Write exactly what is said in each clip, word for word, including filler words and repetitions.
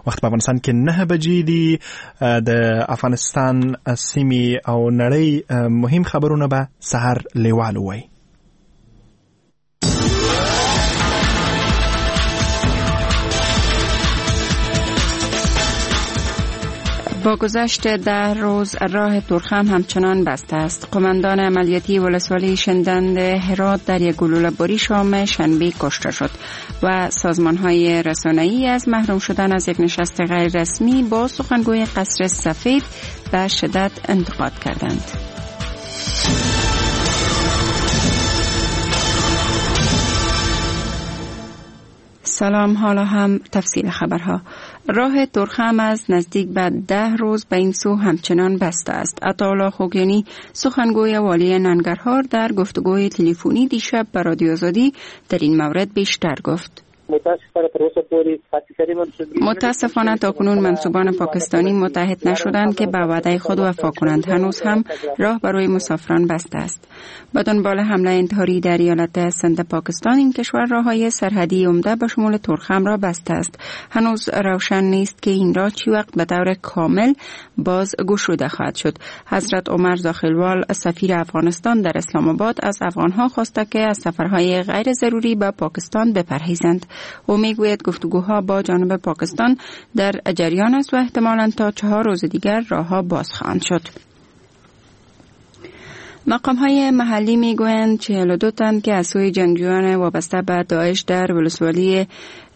وخت په افغانستان کې نهه بجې دي. د افغانستان سیمې او نړۍ مهم خبرونه به سحر لیوال وایي. با گذشت ده روز راه تورخم همچنان بسته است. قماندان عملیاتی ولسوالی شندند هرات در یک گلوله باری شام شنبه کشته شد و سازمان‌های رسانه‌ای از محروم شدن از یک نشست غیر رسمی با سخنگوی قصر سفید به شدت انتقاد کردند. سلام، حالا هم تفصیل خبرها. راه تورخم از نزدیک به ده روز به این سو همچنان بسته است. عطاالله خوگیانی سخنگوی والی ننگرهار در گفتگوی تلفنی دیشب به رادیو آزادی در این مورد بیشتر گفت. متاسفانه تاکنون منسوبان پاکستانی متحد نشدند که به وعده خود وفا کنند. هنوز هم راه برای مسافران بسته است. به دنبال حمله انتحاری در ایالت سند پاکستان، این کشور راه‌های سرحدی عمده به شمول تورخم را بسته است. هنوز روشن نیست که این راه چی وقت به طور کامل باز گشوده خواهد شد. حضرت عمر زاخیلوال سفیر افغانستان در اسلام آباد از افغانها خواسته که از سفرهای غیر ضروری به پاکستان بپرهیزند. او میگوید گفتگوها با جانب پاکستان در جریان است و احتمالاً تا چهار روز دیگر راهها باز خواهند شد. مقام های محلی میگویند چهل و دو تن که از سوی جنگجویان وابسته به داعش در ولسوالی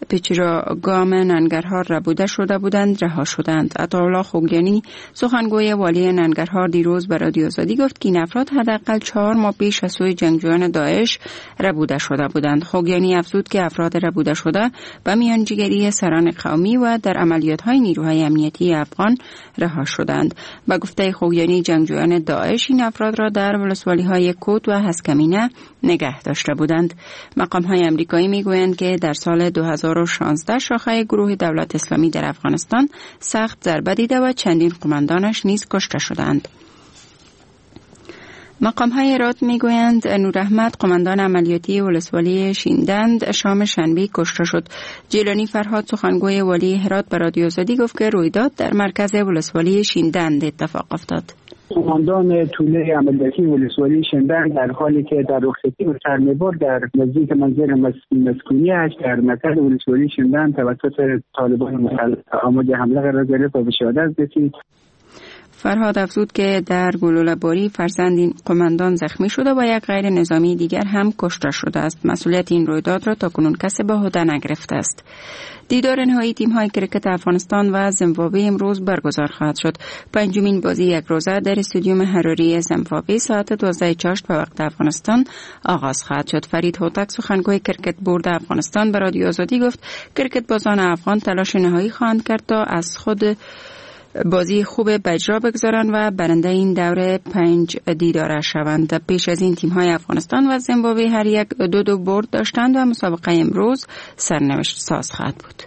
پیچراگام ننگرهار ربوده شده بودند رها شدند. عطاالله خوگیانی سخنگوی والی ننگرهار دیروز به رادیو آزادی گفت که این افراد حداقل چهار ماه پیش از سوی جنگجویان داعش ربوده شده بودند. خوگیانی افزود که افراد ربوده شده به میانجیگری سران قومی و در عملیات‌های نیروهای امنیتی افغان رها شدند. به گفته خوگیانی جنگجویان داعش این افراد را در ولسوالی‌های کوت و هسکمینه نگه داشته بودند. مقام‌های آمریکایی می‌گویند که در سال دو هزار و شانزده شاخه گروه دولت اسلامی در افغانستان سخت ضربه دیده و چندین قماندانش نیز کشته شدند. مقام‌های هرات می‌گویند نور احمد قماندان عملیاتی ولسوالی شیندند شام شنبه کشته شد. جیلانی فرهاد سخنگوی والی هرات به رادیو آزادی گفت که رویداد در مرکز ولسوالی شیندند اتفاق افتاد. قماندان توله عملیاتی ولسوالی شندند در حالی که در رخصتی به سر می‌برد در نزدیک منزل مسکونی اش در مرکز ولسوالی شندند توسط طالبان مسلح آماده حمله قرار گرفت و به شهادت رسید. فرهاد افزود که در گلوله باری فرزند این قماندان زخمی شده و یک غیر نظامی دیگر هم کشته شده است. مسئولیت این رویداد را تاکنون کسی به عهده نگرفته است. دیدار نهایی تیم‌های کرکت افغانستان و زیمبابوه امروز برگزار خواهد شد. پنجمین بازی یک روزه در استادیوم حراری زیمبابوه ساعت دوازده چاشت به وقت افغانستان آغاز خواهد شد. فرید هوتک سخنگوی کرکت بورد افغانستان به رادیو آزادی گفت کرکت بازان افغان تلاش نهایی خواهند کرد تا از خود بازی خوب به اجرا بگذارند و برنده این دوره پنج دیداره شوند. پیش از این تیم‌های افغانستان و زیمبابوه هر یک دو دو برد داشتند و مسابقه امروز سرنوشت ساز خواهد بود.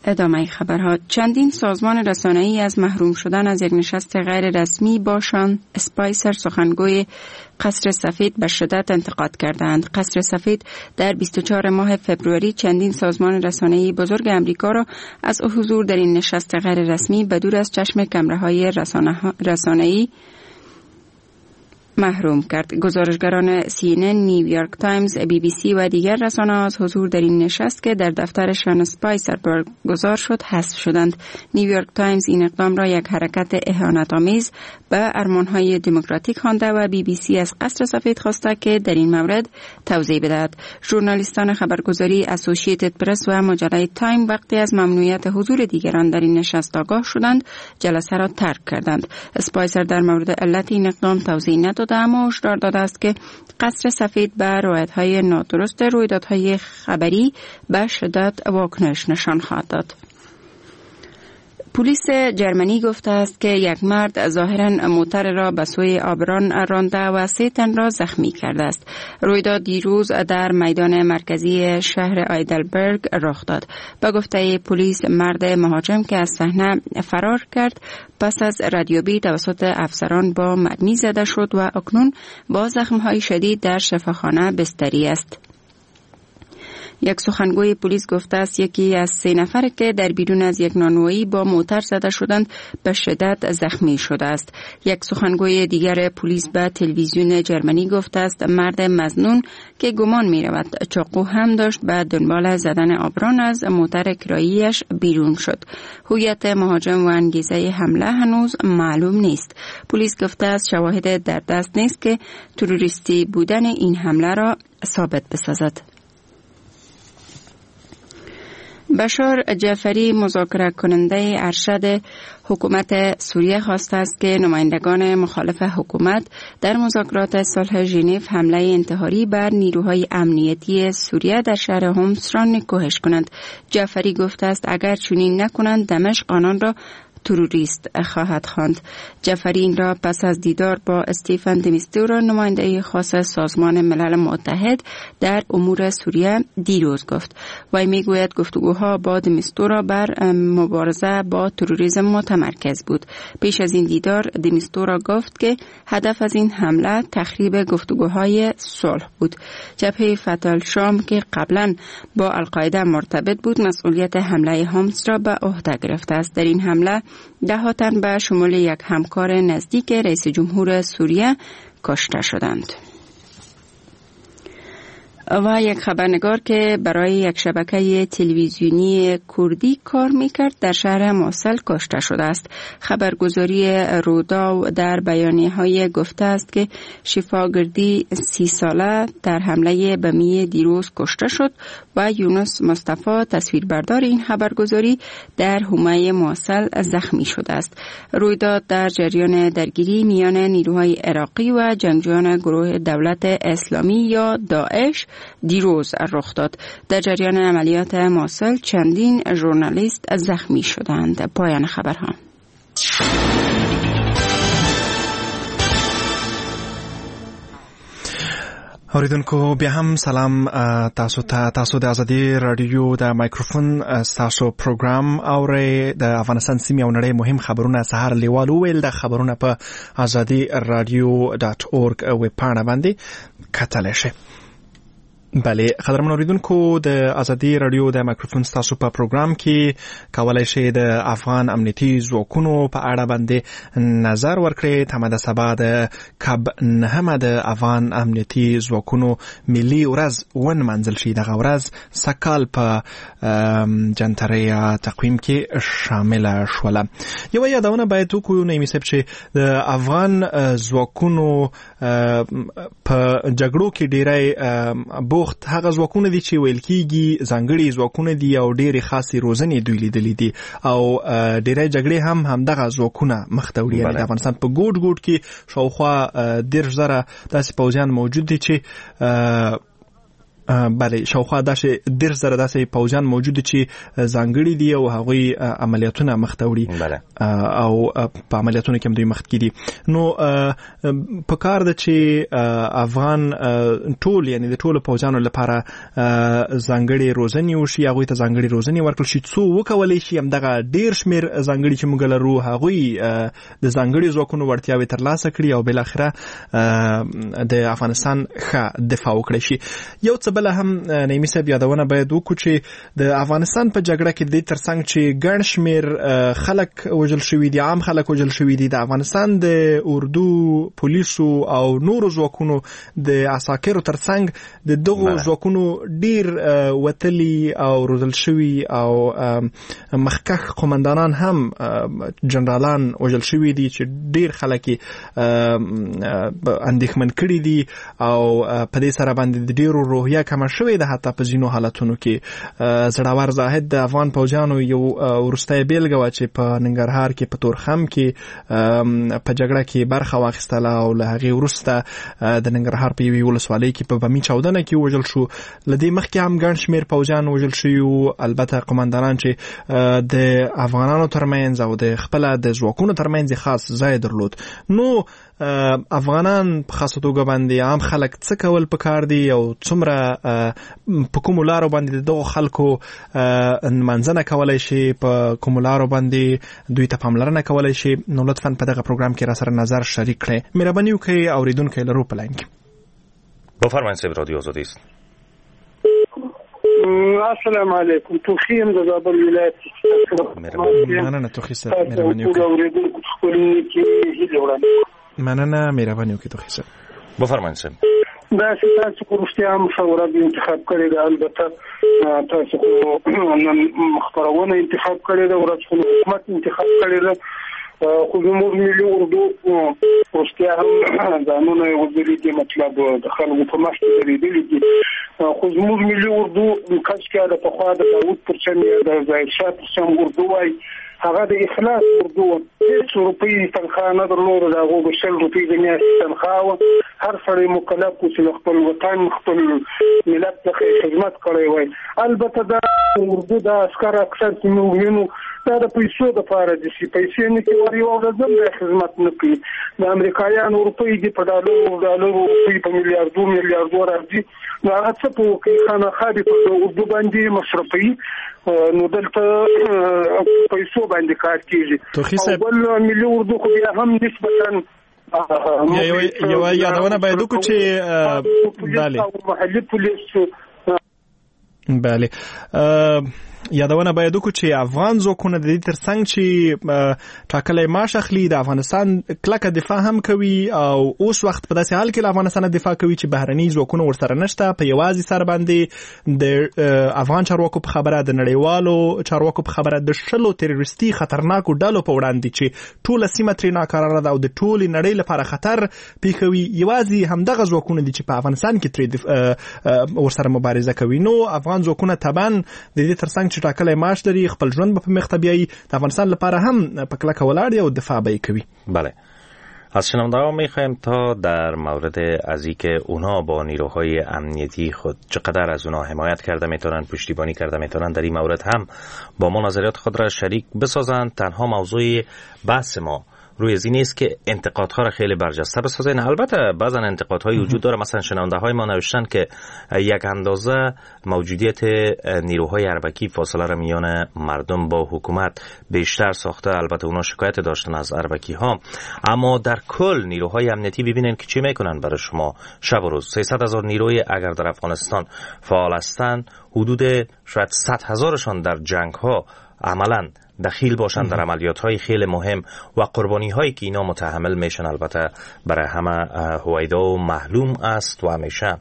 ادامه خبرها. چندین سازمان رسانه‌ای از محروم شدن از یک نشست غیر رسمی با شان اسپایسر سخنگوی قصر سفید به شدت انتقاد کردند. قصر سفید در بیست و چهار ماه فبروری چندین سازمان رسانه‌ای بزرگ امریکا را از حضور در این نشست غیر رسمی به دور از چشم کمره‌های رسانه‌ای محروم کرد. گزارشگران سی ان ان، نیویورک تایمز، بی بی سی و دیگر رسانه‌ها از حضور در این نشست که در دفتر شان اسپایسر برگزار شد حذف شدند. نیویورک تایمز این اقدام را یک حرکت اهانت‌آمیز به ارمان‌های دموکراتیک خوانده و بی بی سی از قصر سفید خواسته که در این مورد توضیح بدهد. ژورنالیستان خبرگزاری اسوسییتد پرس و مجله تایم وقتی از ممنوعیت حضور دیگران در این نشست آگاه شدند، جلسه را ترک کردند. اسپایسر در مورد علت این اقدام توضیح نداد، اما هشدار داده است که قصر سفید به روایت‌های نادرست رویدادهای خبری به شدت واکنش نشان خواهد داد. پلیس جرمنی گفته است که یک مرد ظاهراً موتر را به سوی آبران رانده و سه تن را زخمی کرده است. رویداد دیروز در میدان مرکزی شهر آیدلبرگ رخ داد. به گفته پلیس مرد مهاجم که از صحنه فرار کرد پس از ردیابی توسط افسران با مرمی زده شد و اکنون با زخم‌های شدید در شفاخانه بستری است. یک سخنگوی پلیس گفته است یکی از سه نفر که در بیرون از یک نانوایی با موتر زده شدند به شدت زخمی شده است. یک سخنگوی دیگر پلیس به تلویزیون جرمنی گفته است مرد مظنون که گمان می رود چاقو هم داشت به دنبال زدن آبران از موتر کرایی‌اش بیرون شد. هویت مهاجم و انگیزه حمله هنوز معلوم نیست. پلیس گفته است شواهد در دست نیست که تروریستی بودن این حمله را ثابت بسازد. بشار جعفری مذاکره کننده ارشد حکومت سوریه خواسته است که نمایندگان مخالف حکومت در مذاکرات صلح ژنو حمله انتحاری بر نیروهای امنیتی سوریه در شهر حمص را نکوهش کنند. جعفری گفته است اگر چنین نکنند دمشق آنان را تروریست خواهد خواند. جعفری این را پس از دیدار با استیفن دمیستورا نماینده خاص سازمان ملل متحد در امور سوریه دیروز گفت. وی میگوید گفتگوها با دمیستورا بر مبارزه با تروریسم متمرکز بود. پیش از این دیدار دمیستورا گفت که هدف از این حمله تخریب گفتگوهای صلح بود. جبهه فتح الشام که قبلا با القاعده مرتبط بود مسئولیت حمله حمص را به عهده گرفته است. در این حمله ده ها تن به شمول یک همکار نزدیک رئیس جمهور سوریه کشته شدند. و یک خبرنگار که برای یک شبکه تلویزیونی کردی کار میکرد در شهر موصل کشته شده است. خبرگزاری روداو در بیانیه‌های گفته است که شفا گردی سی ساله در حمله بمی دیروز کشته شد و یونس مصطفی تصویربردار این خبرگزاری در حومه موصل زخمی شده است. رویداد در جریان درگیری میان نیروهای عراقی و جنگجویان گروه دولت اسلامی یا داعش دیروز رخ داد. در جریان عملیات موصل چندین ژورنالیست زخمی شدند. پایان خبرها. اوریدونکو بیا هم سلام تاسو ته. تاسو د ازادي رادیو د مایکروفون تاسو پروګرام اورئ. د افغانستان سیمې او نړۍ مهم خبرونه سهار لیوال ویل د خبرونه په ازادي رادیو ډاټ اورګ ویب پاڼه باندې کتلی شئ. بله قدرمن اوریدونکو، د ازادي رادیو د مایکروفون ستاسو په پروګرام کې کولای شئ د افغان امنیتي ځواکونو په اړه باندې نظر ورکړئ. تمه ده سبا د کب نهمه د افغان امنیتي ځواکونو ملي ورځ ونمانځل شي. دغه ورځ سږکال په جنتري تقویم کې شامله شوله. یوه یادونه باید وکړو نعیمي صاحب چې د افغان ځواکونو په جګړو کې ډیری بوخت هغه ځواکونه دي چې ویل کیږي ځانګړي ځواکونه دي او ډېرې خاصې روزنې دوی لیدلې دي او ډېری جګړې هم همدغه ځواکونه مخته وړي. یعنې د افغانستان په ګوټ ګوټ کې شاوخوا دېرش زره داسې پوځیان موجود دي چې بله شاوخوا داسې دېرش زره داسې پوځیان موجود دي چې ځانګړي دي او هغوی عملیاتونه مخته وړي او په عملیاتونو کې هم دوی مخکې دي. نو په کار ده چې افغان ټول یعنې د ټولو پوځیانو لپاره ځانګړې روزنې وشي، هغوی ته ځانګړې روزنې ورکړل شي څو وکولی شي همدغه ډېر شمېر ځانګړي چې موږ لرو هغوی د ځانګړي ځواکونو وړتیاوې ترلاسه کړي او بالاخره د افغانستان ښه دفاع وکړي شي. یو څه بل هم نعیمي صاحب یادونه باید وکړو چې د افغانستان په جګړه کې د دې ترڅنګ چې ګڼ شمېر خلک وژل شوي دي، عام خلک وژل شوي دي، د افغانستان د اردو، پولیسو او نورو ځواکونو د عساکرو ترڅنګ د دغو ځواکونو ډیر وتلي او روزل شوي او مخکښ قومندانان هم جنرالان وژل شوي دي چې ډیر خلک یې اندېښمن کړي دي او په دې سره باندې د ډیرو روحیه کمه شوې ده. حتی په ځینو حالتونو کې زړور زاهد د افغان پوځیانو یو وروستی بیلګه وه چې په ننګرهار کې په تورخم کې په جګړه کې برخه واخیستله او له هغې وروسته د ننګرهار په یوې ولسوالۍ کې په بمي چاودنه کې وژل شو. له دې مخکې هم ګڼ شمېر پوځیان وژل شوي وو، البته قومندانان چې د افغانانو ترمنځ او د خپله د ځواکونو ترمنځ خاص ځای درلود. نو افغانان په خاصه توګه باندې عام خلک څه کول پکار دي او څومره په کومو لارو باندې د دغو خلکو نمانځنه کولی شي، په کومو لارو باندې دوی ته پاملرنه کولی شي؟ نو لطفاً په دغه پروګرام کې را سره نظر شریک کړئ. مهرباني وکړئ اورېدونکی لرو په لاین کې. بفرمایید صاحب، رادیو آزادی است. السلام علیکم. توخی یم د زابل ولایت. مننه توخی صاحب، مهرباني وکړئ. مننه، مهرباني وکړئ توخی صاحب. بفرمایئ صاحب. داسې تاسو خو رښتیا هم ښه ورځ انتخاب کړې ده. البته تاسو خو نن خپرونه انتخاب کړې ده، ورځ خو حکومت انتخاب کړې ده. خو زموږ ملي اردو رښتیا هم ځانونه یې وزلي دي، مطلب د خلکو په مخ کې درېدلي دي. خو زموږ ملي اردو کاشکې د پخوا د داود پر چم یا د ظاهر شاه پر چم اردو وای، هغه د اخلاص اردو هېڅ روپۍ تنخوا نه درلوده، د هغو به شل روپۍ د میاشتې تنخوا وه. هر سړی مکلف و چې له خپل وطن خپل ملت څخه یې خدمت کړی وای. البته دا اردو دا عسکر اکثر چې موږ وینو دا د پیسو دپاره دي چې پیسې نه کوي، ور یوه ورځ هم دا خدمت نه کوي. د امریکایانو روپۍ دي په ډالرو ډالرو روپۍ په میلیاردو میلیاردو راځي، نو هغه څه په وکړي؟ خامخا دې په اردو باندې مصرفوي. نو دلته پیسو باندې کار کېږي. او بل ملي اردو خو بیا هم نسبتاً یوه یادونه باید وکړو چې بله محلي پولیس بله یادونه باید وکړو چې افغان ځواکونه د دې ترڅنګ چې ټاکلی معاش اخلي د افغانستان کلکه دفاع هم کوي او اوس وخت په داسې حال کې له افغانستانه دفاع کوي چې بهرني ځواکونه ورسره نشته. په یوازې سر باندې د افغان چارواکو په خبره، د نړیوالو چارواکو په خبره، د شلو تروریستي خطرناکو ډلو په وړاندې چې ټوله سیمه ترې ناکراره ده او د ټولې نړۍ لپاره خطر پیښوي، یوازې همدغه ځواکونه دي چې په افغانستان کې ترې ورسره مبارزه کوي. نو افغان ځواکونه طبعا د دې ترڅنګ چې ټاکلی معاش لري، خپل ژوند به په مخ ته بیایي، د افغانستان لپاره هم په کلکه ولاړ دی او دفاع به یې کوي. بله، از شنونده ها میخوایم تا در مورد از اینکه اونا با نیروهای امنیتی خود چقدر از اونا حمایت کرده میتونن، پشتیبانی کرده میتونن، در این مورد هم با ما نظریات خود را شریک بسازند. تنها موضوع بحث ما روی از این است که انتقادها را خیلی برجسته بسازین. البته بعضا انتقادهای وجود داره. مثلا شنونده های ما نوشتن که یک اندازه موجودیت نیروهای اربکی فاصله را میان مردم با حکومت بیشتر ساخته. البته اونا شکایت داشتن از اربکی ها، اما در کل نیروهای امنیتی ببینن که چی میکنن برای شما شب و روز. سیصد هزار نیروی اگر در افغانستان فعال هستند، حدود شاید صد هزارشان در جنگ ها عملاً دخیل باشند، در عملیات های خیلی مهم و قربانی هایی که اینا متحمل میشن البته برای همه هویدا و معلوم است و همیشه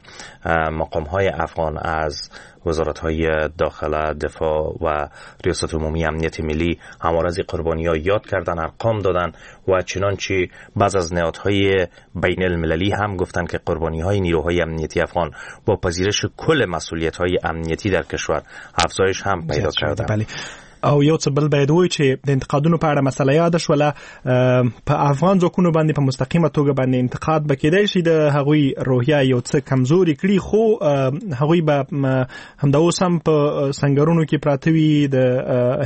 مقام های افغان از وزارت های داخله، دفاع و ریاست عمومی امنیت ملی همواره از قربانی ها یاد کردن، ارقام دادن و چنانچه بعض از نهادهای بین المللی هم گفتن که قربانی های نیروهای امنیتی افغان با پذیرش کل مسئولیت های امنیتی در کشور افزایش هم پیدا کردن. بله. او یو څه بل باید ووایو چې د انتقادونو په اړه مسله یاده شوله. په افغان ځواکونو باندې په مستقیمه توګه باندې انتقاد به کېدای شي د هغوی روحیه یو څه کمزوري کړي، خو هغوی به همدا اوس هم په سنګرونو کې پراته وي. د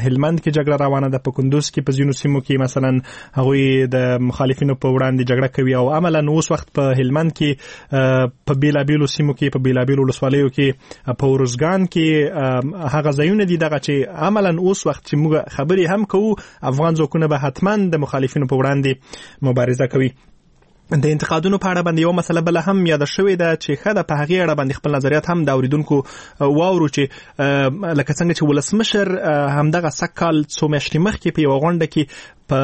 هلمند کې جګړه روانه ده، په کندوز کې په ځینو سیمو کې مثلا هغوی د مخالفینو په وړاندې جګړه کوي او عملا اوس وخت په هلمند کې په بیلابیلو سیمو کې، په بیلابیلو ولسوالیو کې، په ارزګان کې هغه ځایونه دي دغه چې عملا اوس وخت چې موږ خبرې هم کوو افغان ځواکونه به حتما د مخالفینو په وړاندې مبارزه کوي. د انتقادونو په اړه باندې یو مسله بل هم یاده شوې ده چې ښه ده په هغې اړه باندې خپل نظریات هم د اوریدونکو واورو چې لکه څنګه چې ولسمشر همدغه سږ کال څو میاشتې مخکې په یوه غونډه کې په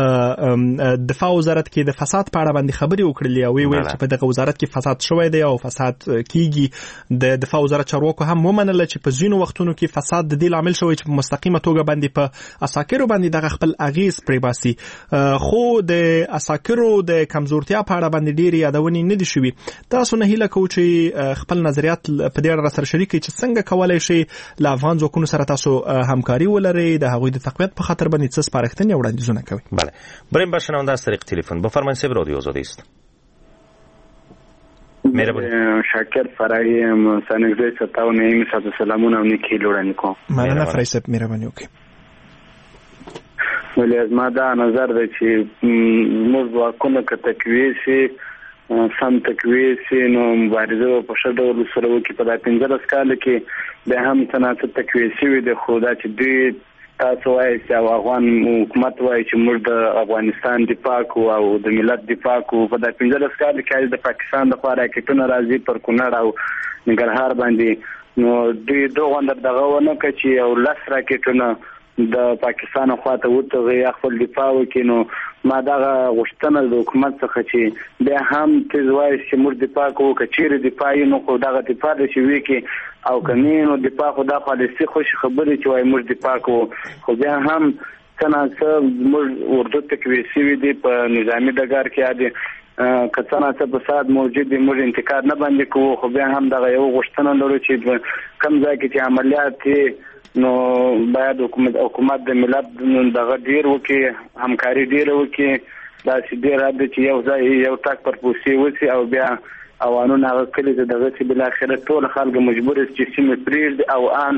دفاع وزارت کې د فساد په اړه باندې خبرې وکړلې او ویل چې په دغه وزارت کې فساد شوی دی او فساد کیږي. د دفاع وزارت چارواکو هم ومنله چې په ځینو وختونو کې فساد د دې لامل شوی چې په مستقیمه توګه باندې په عساکرو باندې دغه خپل اغیز پرې باسي، خو د عساکرو د کمزورتیا په اړه باندې ډېرې یادونې نه دي شوي. تاسو نه هیله کوو چې خپل نظریات په دې اړه را سره شریک کړئ چې څنګه کولای شئ له افغان ځواکونو سره تاسو همکاري ولرئ، د هغوی د تقویت په خاطر باندې څه سپارښتنې او وړاندیزونه کوئ. بله، بریم با شنونده از طریق تلفن. بفرمایید صاحب، رادیو آزادی است. مهربانی. شاکر فرعی سنگزی ستاو نعیم صاحب سلامونه او نیکې هیلې وړاندې کوم. مننه فرعي صاحب، مهرباني وکړئ. ولې زما دا نظر دی چې موږ ځواکونه که تقویه شي، سم تقویه شي، نو مبارزه به په ښه ډول سره وکړي. په دا پنځلس کالو کې بیا هم څه ناڅه تقویه شوي دي، خو دا چې دوی تاسو وایئ چې او افغان حکومت وایي چې موږ د افغانستان دفاع کوو او د ملت دفاع کوو، په دا پنځلس کالو کې د پاکستان د خوا راکټونه راځي پر کونړ او ننګرهار باندې، نو دوی دغه دغه ونه کړه چې یو لس راکټونه د پاکستان خواته وتغي یا خپل دفاع وکړي. نو ما دغه غوښتنه د حکومت څخه چې بیا هم تیز وایي چې موږ دفاع کوو، که چیرې دفاع یې نو خو دغه دفاع ده چې وکړي، او که نه نو دفاع خو دا پالیسي خوش خبرې چې وایي موږ دفاع کوو، خو بیا هم څه نا څه موږ اردو تقویه شوي دي په نظامي ډګر کې، عادي که څه نا څه فساد موجود دی موږ انتقاد نه باندې کوو، خو بیا هم دغه یو غوښتنه لرو چې کوم ځای کې چې عملیات دي نو باید حکومت حکومت د ملت دغه ډیر وکړي، همکاري ډیره وکړي، داسې ډېر حد چې یو ځای یو ټاک پر پوسې وسي او بیا اوانونه هغه کلي ته دغه چې بالاخره ټول خلک مجبور شي چې سیمې پرېږدي او ان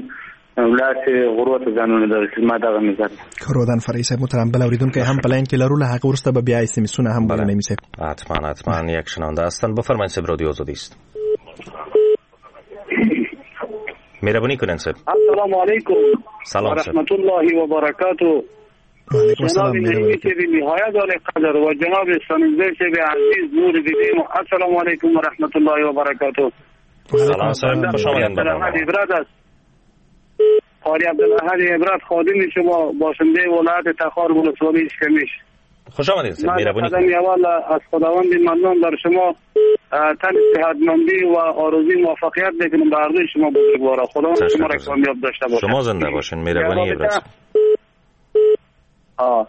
ولاړ شي غرو ته ځانونه دغه ما دغه نظر. رودان فرعي صاحب محترم، بل اوریدونکی هم په لاین کې لرو، له هغه وروسته به بیا اس ام اسونه هم بله نعیمي صاحب. حتما حتما یک شنونده هستن، بفرمایید صاحب، رادیو آزادی است. مهربانی کنین صاحب. السلام علیکم. سلام و رحمت الله و برکاته. علیکم السلام. جناب نعیمی صاحب نهایت عالی قدر و جناب ستانکزی صاحب عزیز نور دیدیم، السلام علیکم و رحمت الله و برکاته. سلام صاحب، خوش آمدید. عبرت است. قاری عبدالاحد عبرت خادم شما باشنده ولایت تخار ولسوالی اشکمیش. خوش آمدید صاحب، مهربانی کنید. اول از خداوند منان بر شما تن صحتمندی و آرزوی موفقیت میکنم به هر دوی شما بزرگوارا، خداوند شما را کامیاب داشته باشه. شما زنده باشین، مهربانی عبرت. آه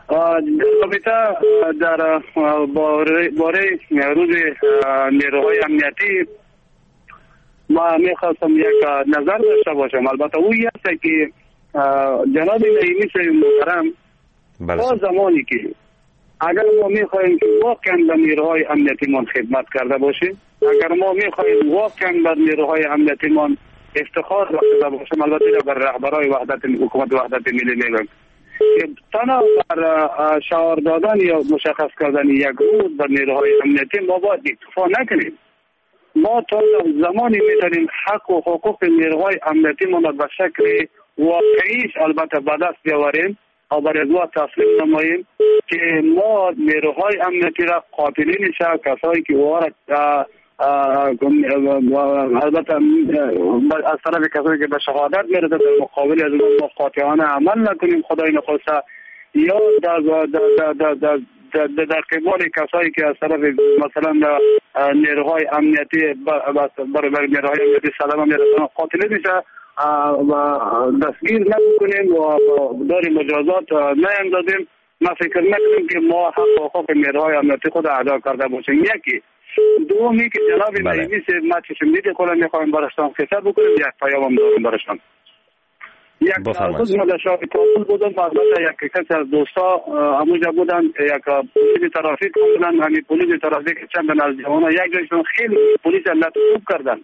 در رابطه در باره روز نیروهای امنیتی ما میخواستم یک نظر داشته باشم. البته او است که جناب نعیمی صاحب محترم، تا زمانی که اگر ما میخواهیم که واقعا به نیروهای امنیتی خدمت کرده باشیم، اگر ما میخواهیم واقعا بر نیروهای امنیتی مان افتخار بخشیده باشیم، البته بر رهبرای وحدت حکومت وحدت ملی میگم که تنها بر شعار دادن یا مشخص کردن یک روز بر نیروهای امنیتی ما باید اکتفا نکنیم. ما تا زمانی میتونیم حق و حقوق نیروهای امنیتی ما به شکل واقعیش البته به دست بیاوریم و بر ازوا تسلیم نماییم که ما نیروهای امنیتی را قاتلین شد، کسایی که وارد البته از طرف کسایی که به شهادت میرسه در مقابل از ما قاطعانه عمل نکنیم خدای نخواسته، یا در در در در در در قبال کسایی که از طرف مثلا نیروهای امنیتی برای نیروهای امنیتی صدمه میرسن قاتل میشه و دستگیر نکنیم و دار مجازات نیندازیم. ما فکر نکنیم که ما حق و حقوق نیروهای امنیتی خود ادا کرده باشیم. یکی دومی که جناب نعیمی صاحب ما چشم دید خود میخوایم برشان قصه بکنیم، یک پیام دارم برشان. یک روز ما در شهر کابل بودم، البته یک کسی از دوستا همونجا بودن، یک پلیس ترافیک بودن، همین پلیس ترافیک چند از جوانان یک جایشون خیلی پلیس لط خوب کردن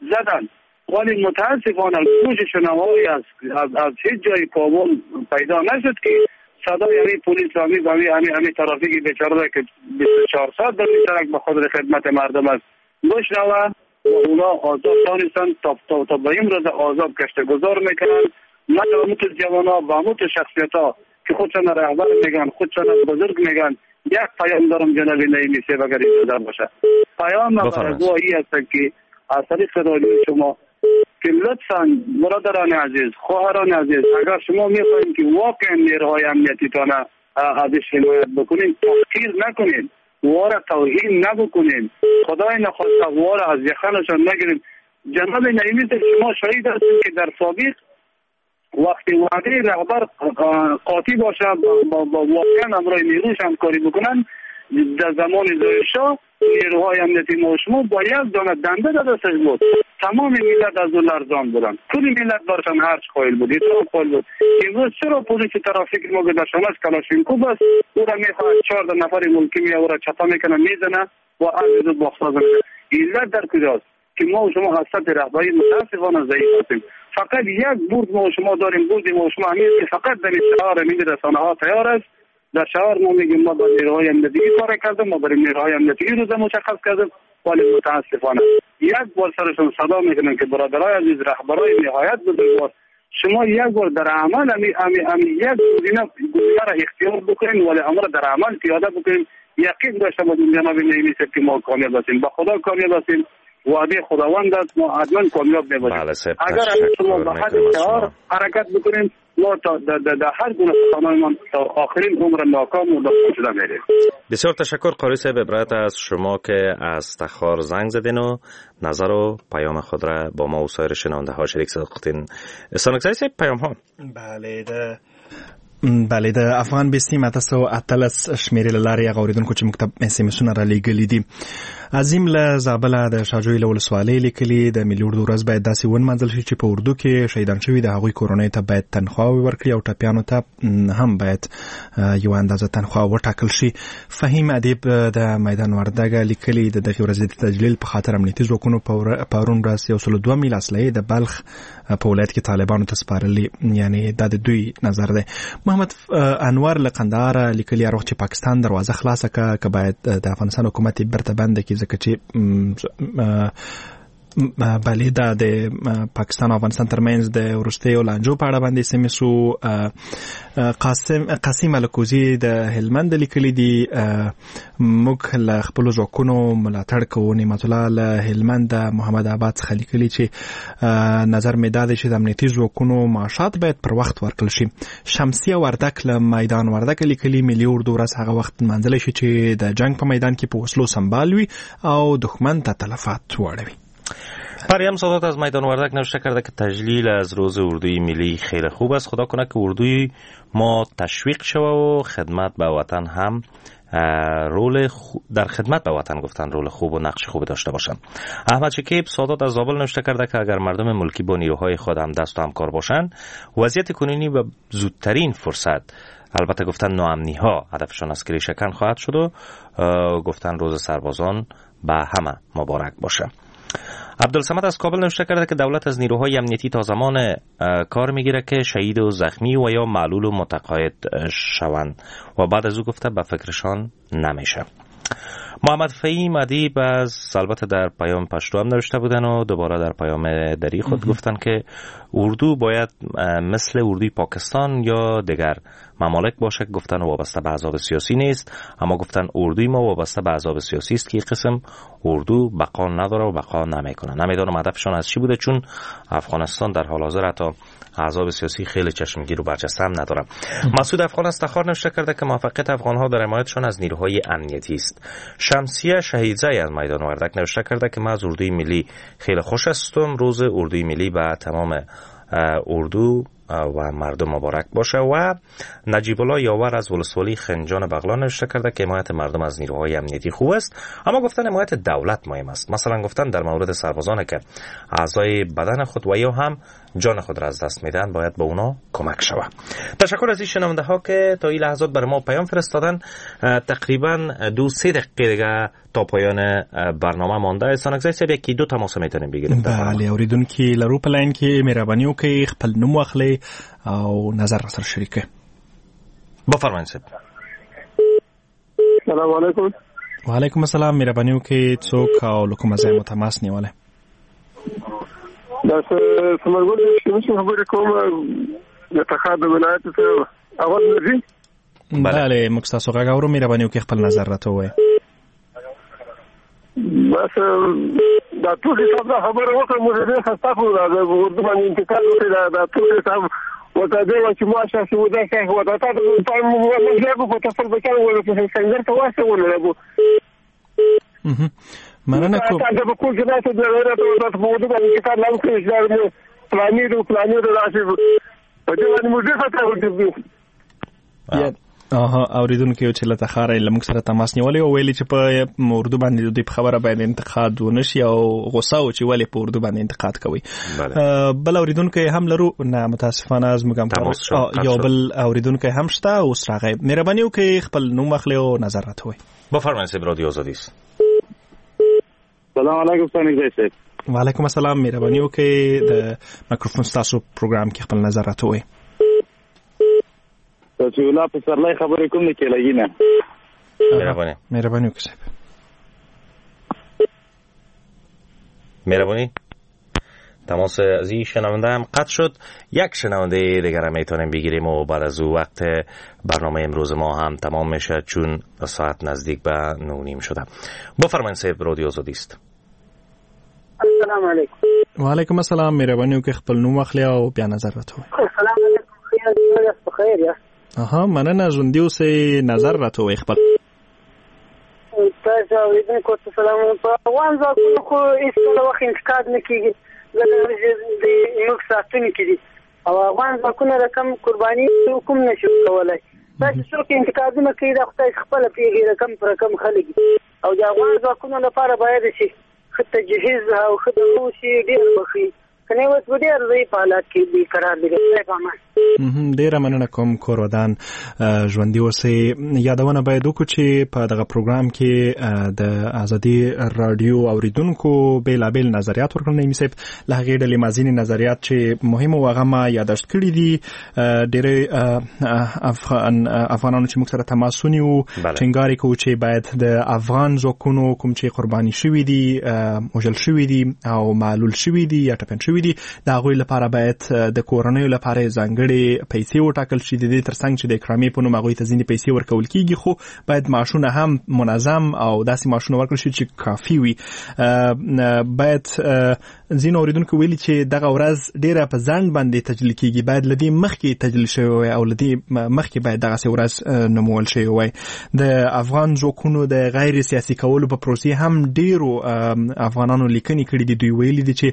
زدن، ولی متاسفانه گوش شنوایی از از از هیچ جای کابل پیدا نشد که صدای همین پلیس همین همین همین همین ترافیک بیچاره که بیست و چهار ساعت در سرک به خاطر خدمت مردم است بشنوه و اونا آزاد دانستن تا تا تا به امروز آزاد گشت گذار میکنن. نه همون جوانا و همون شخصیت ها که خودشان رهبر میگن، خودشان بزرگ میگن. یک پیام دارم جناب نعیمی صاحب اگر اجازه باشه، پیام برای است که از طریق رادیو شما که لطفاً برادران عزیز، خواهران عزیز، اگر شما میخواهید که واقعا نیروهای امنیتی تانه ازش حمایت بکنین، تحقیر نکنین، واره توهین نبکنین، خدای نخواسته واره از یخنشان نگیرین. جناب نعیمی شما شاهد هستید که در سابق وقتی وعده رهبر قاطی باشه با با واقعا همراه نیروش همکاری بکنن، در زمان ظاهرشاه نیروهای امنیتی ما شما با یک دانه دنده در دستش بود، تمام ملت از او لرزان بودن، کل ملت برشان هرچ قایل بود، احترام قایل بود. امروز چرا پلیس ترافیک ما که در شانش کلاشینکوف است او را میخواهد چهار نفر ملکی می او را چپه میکنه میزنه و از او باخساز میکنه؟ علت در کجاست که ما و شما از سطح رهبری متاسفانه ضعیف هستیم. فقط یک برد ما و شما داریم، برد ما و شما همین که فقط در شعار همین رسانه ها تیار است. در شعار ما میگیم ما با نیروهای امنیتی کار کردیم، ما برای نیروهای امنیتی روز مشخص کردیم، ولی متاسفانه یک بار سرشون صدا میکنن که برادرای عزیز، رهبرای نهایت بزرگوار، شما یک بار در عمل امی امی امی یک گزینه گزینه را اختیار بکنین، ولی امر در عمل پیاده بکنین. یقین داشته باشیم جناب نعیمی صاحب که ما کامیاب هستیم، با خدا کامیاب هستیم. وعده خداوند است، ما حتما کامیاب میباشیم. اگر شما به حد شعار حرکت بکنیم، ما تا در هر گونه سخنانمان تا آخرین عمر ناکام و داخل شده میریم. بسیار تشکر قاری صاحب عبرت از شما که از تخار زنگ زدین و نظر و پیام خود را با ما و سایر شنونده ها شریک ساختین. استانکزی صاحب پیام ها. بله ده بله د افغان بیسیم اته سوه اتلس شمېرې له لارې هغه اورېدونکو چې موږ ته اس ام اسونه رالیږلي دي. عظیم له زابله د شاجوی له ولسوالۍ لیکلي، د ملي اردو ورځ باید داسې ونمانځل شي چې په اردو کې شهیدان شوي د هغوی کورنۍ ته باید تنخواوې ورکړي او ټپیانو ته هم باید یوه اندازه تنخوا وټاکل شي. فهیم ادیب د میدان وردګ لیکلي، د دغې ورځې د تجلیل په خاطر امنیتي ځواکونو پرون ورځ یو سل دوه میله اسلحې د بلخ په ولایت کې طالبانو ته سپارلي، یعنی دا د دوی نظر دی. محمد انور له قندهار لیکلي، هر وخت چې پاکستان دروازه خلاصه که که باید د افغانستان حکومت یې بیرته بنده کړي، ځکه چې بله دا د پاکستان او افغانستان ترمنځ د وروستیو لانجو په اړه باندې اس ام اس قاسم قاسم الکوزي د هلمند لیکلي دي، موږ له خپلو ځواکونو ملاتړ کوو. نعمت الله له هلمند محمد آباد څخه لیکلي چې نظر مې دا دی چې د امنیتي ځواکونو معاشات باید پر وخت ورکړل شي. شمسیه وردک له میدان وردک لیکلي، ملي اردو ورځ هغه وخت لمانځلی شي چې د جنګ په میدان کې په وسلو سمبال وي او دښمن ته تلفات واړوي. پریم سادات از میدان وردک نوشته کرده که تجلیل از روز اردوی ملی خیلی خوب است، خدا کنه که اردوی ما تشویق شوه و خدمت به وطن هم رول خو... در خدمت به وطن گفتن رول خوب و نقش خوب داشته باشند. احمد شکیب سادات از زابل نوشته کرده که اگر مردم ملکی با نیروهای خود هم دست و همکار باشند، وضعیت کنونی به زودترین فرصت، البته گفتن ناامنی ها هدفشان از ریشه کن خواهد شد و گفتن روز سربازان به همه مبارک باشه. عبدالصمد از کابل نوشته کرده که دولت از نیروهای امنیتی تا زمان کار میگیره که شهید و زخمی و یا معلول و متقاعد شوند و بعد از او گفته به فکرشان نمیشه. محمد فهیم ادیب از البته در پیام پشتو هم نوشته بودن و دوباره در پیام دری خود گفتن که اردو باید مثل اردوی پاکستان یا دیگر ممالک باشه، گفتن وابسته به احزاب سیاسی نیست، اما گفتن اردوی ما وابسته به احزاب سیاسی است که قسم اردو بقا نداره و بقا نمیکنه. نمیدونم هدفشان از چی بوده، چون افغانستان در حال حاضر حتی احزاب سیاسی خیلی چشمگیر و برجسته هم نداره. مسعود افغان از تخار نوشته کرده که موفقیت افغانها در حمایتشان از نیروهای امنیتی است. شمسیه شهیدزی از میدان وردک نوشته کرده که من از اردوی ملی خیلی خوش هستم، روز اردوی ملی به تمام اردو و مردم مبارک باشه. و نجیب الله یاور از ولسوالی خنجان بغلان نوشته کرده که حمایت مردم از نیروهای امنیتی خوب است، اما گفتن حمایت دولت مهم است. مثلا گفتن در مورد سربازان که اعضای بدن خود و یا هم جان خود را از دست میدن باید به اونا کمک شود. تشکر از این شنونده ها که تا این لحظات بر ما پیام فرستادن. تقریبا دو سه دقیقه دیگه تا پایان برنامه مانده. استانکزی صاحب یکی دو تماس میتونیم بگیریم. بله اوریدونکي لرو په لاین کې مهرباني وکړئ خپل نوم واخلئ او نظر را سره شریک کړئ. بفرمایئ صاحب. سلام علیکم. وعلیکم السلام. مهرباني وکړئ څوک او له کومه ځایه مو تماس نیولی؟ دا ثمرګل چې خبرې کوم د تخار د ولایت څخه اول دی. بله موږ تاسو غږ اورو، مهرباني وکړئ خپل نظر راته ووایئ. بس دا ټول حساب دا خبره وکړه، موږ ډېر خسته خو دا اردو باندې انتقاد وکړ، دا دا ټول حساب ورته دی چې ما شاسې و دا څه و دا تا ته موږ په تفصیل بچا و په څنګه ته واسه مننه کوم. دا په کور کې ناست دی، راته ورته په اردو باندې انتقاد نه وکړي چې دا پلاني دی پلاني دی داسې په دې باندې موږ ډېر خسته وو. آها اوریدونکو چې له تخاره له موږ سره تماس نیولی او ویلي چې په اردو باندې د دوی په خبره باید انتقاد ونه شي او غوسه و چې ولې په اردو باندې انتقاد کوي. بل اوریدونکی هم لرو، نه متاسفانه زموږ هم یو بل اوریدونکی هم شته اوس راغی. مهرباني وکړئ خپل نوم واخلئ او نظر راته ووایئ. بفرمایئ صاحب رادیو آزادی است. سلام علیکم ستانکزی صاحب. وعلیکم السلام. مهرباني وکړئ د مایکروفون ستاسو پروګرام کې خپل نظر راته ووایئ. رسول الله پسرلی خبرې کوم نه کېلګي نه. مهرباني مهرباني وکړئ صاحب. مهربانی. تماس از این شنونده هم قطع شد. یک شنونده دیگر هم میتونیم بگیریم و بعد از او وقت برنامه امروز ما هم تمام میشه، چون ساعت نزدیک به نه و نیم شده. بفرمایید صاحب رادیو آزادی است. السلام علیکم. وعلیکم السلام، مهرباني وکړئ خپل نوم واخلئ او بیا نظر راته ووایئ. السلام علیکم، خیر یاست؟ په خیر یاست؟ اها، مننه، ژوندي اوسئ. نظر راته ووایئ خپل. تاسو اورېدونکو ته سلام. په افغان ځواکونو خو هېڅکله وخت انتقاد نه کېږي، ځکه چې دوی موږ ساتونکي دي او افغان ځواکونه رقم قرباني څوک هم نه شي کولی. تاسو څوک انتقادونه کوي، دا خو تاسو خپله پوهېږئ رقم په رقم خلک دي. او د افغان ځواکونو لپاره باید چې ښه تجهیز او ښه دغه وشي، ډېر به ښه وي، که نه اوس به ډېر ضعیف حالت کې بې قرار دي. خدای په امان. ډیره مننه کوم، کور ودان، ژوندي اوسئ. یادونه باید وکړو چې په دغه پروګرام کې د ازادي رادیو اوریدونکو بیلابیل نظریات ورکړل. نعیمي صاحب، له هغې ډلې ما ځینې نظریات چې مهم وو هغه ما یاداشت کړي دي. ډېری افغان افغانانو چې موږ سره تماس ونیو ټینګار یې کوو چې باید د افغان ځواکونو کوم چې قرباني شوي دي، وژل شوي دي او معلول شوي دي یا ټپیان شوي دي، د هغوی لپاره باید د کورنیو لپاره ځانګړې پیسې وټاکل شي. د دې ترڅنګ چې د اکرامې په نوم هغوی ته ځینې پیسې ورکول کیږي، خو باید معاشونه هم منظم او داسې معاشونه ورکړل شي چې کافي وي. باید ځینو اوریدونکو ویلي چې دغه ورځ ډیره په ځنډ باندې تجلیل کیږي، باید له دې مخکې تجلیل شوې وای او له دې مخکې باید دغسې ورځ نومول شوې وای. د افغان ځواکونو د غیر سیاسي کولو په پروسې هم ډیرو افغانانو لیکنې کړې دي. دوی ویلي دي چې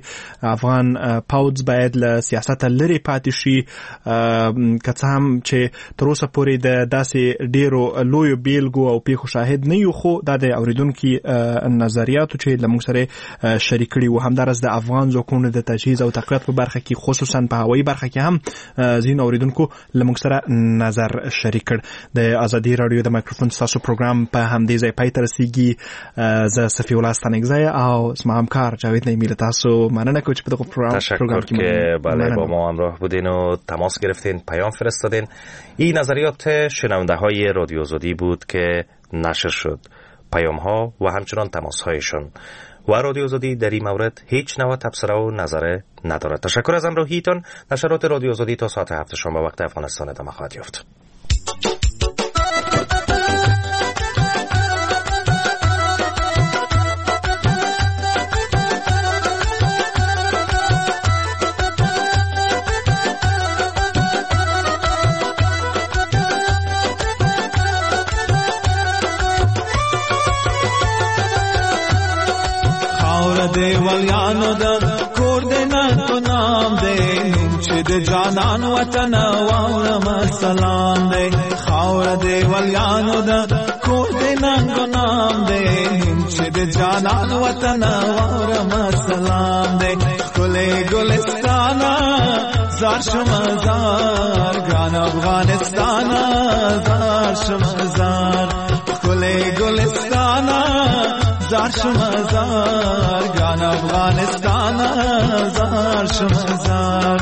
افغان پوځ باید له سیاسته لرې پاتې شي، که څه هم چې تر اوسه پورې د داسې ډیرو لویو بیلګو او پیښو شاهد نه یو، خو دا د اوریدونکي نظریاتو چې له موږ سره شریک کړي وو. همداراز د افغان ځواکونو د تجهیز او تقویت په برخه کې، خصوصا په هوایي برخه کې هم ځینو اوریدونکو له موږ سره نظر شریک کړ. د ازادي رادیو د مایکروفون ستاسو پروګرام په همدې ځای پای ته رسیږي. زه صفی الله ستانکزی او زما همکار جاوید نعیمي له تاسو مننه کوم چې په دغه پروګرام تشکر که بله با ما همراه بودین و تماس گرفتین، پیام فرستادین. این نظریات شنونده های رادیو آزادی بود که نشر شد، پیام ها و همچنان تماس هایشون، و رادیو آزادی در این مورد هیچ نوع تبصره و نظر ندارد. تشکر از همراهیتان. نشرات رادیو آزادی تا ساعت هفت شام به وقت افغانستان ادامه خواهد یافت. دیوالیانو د کور د ننګ نام دی، نوم چې د جانان وطن واورم سلام دی. خاور دیوالیانو د کور د ننګ نام دی، نوم چې د جانان وطن واورم سلام دی. ښکلی ګلستانه زار شم زار، ګران افغانستانه زار شم زار. ښکلی ګلستانه زار شم زار، ګران افغانستان زار شم زار.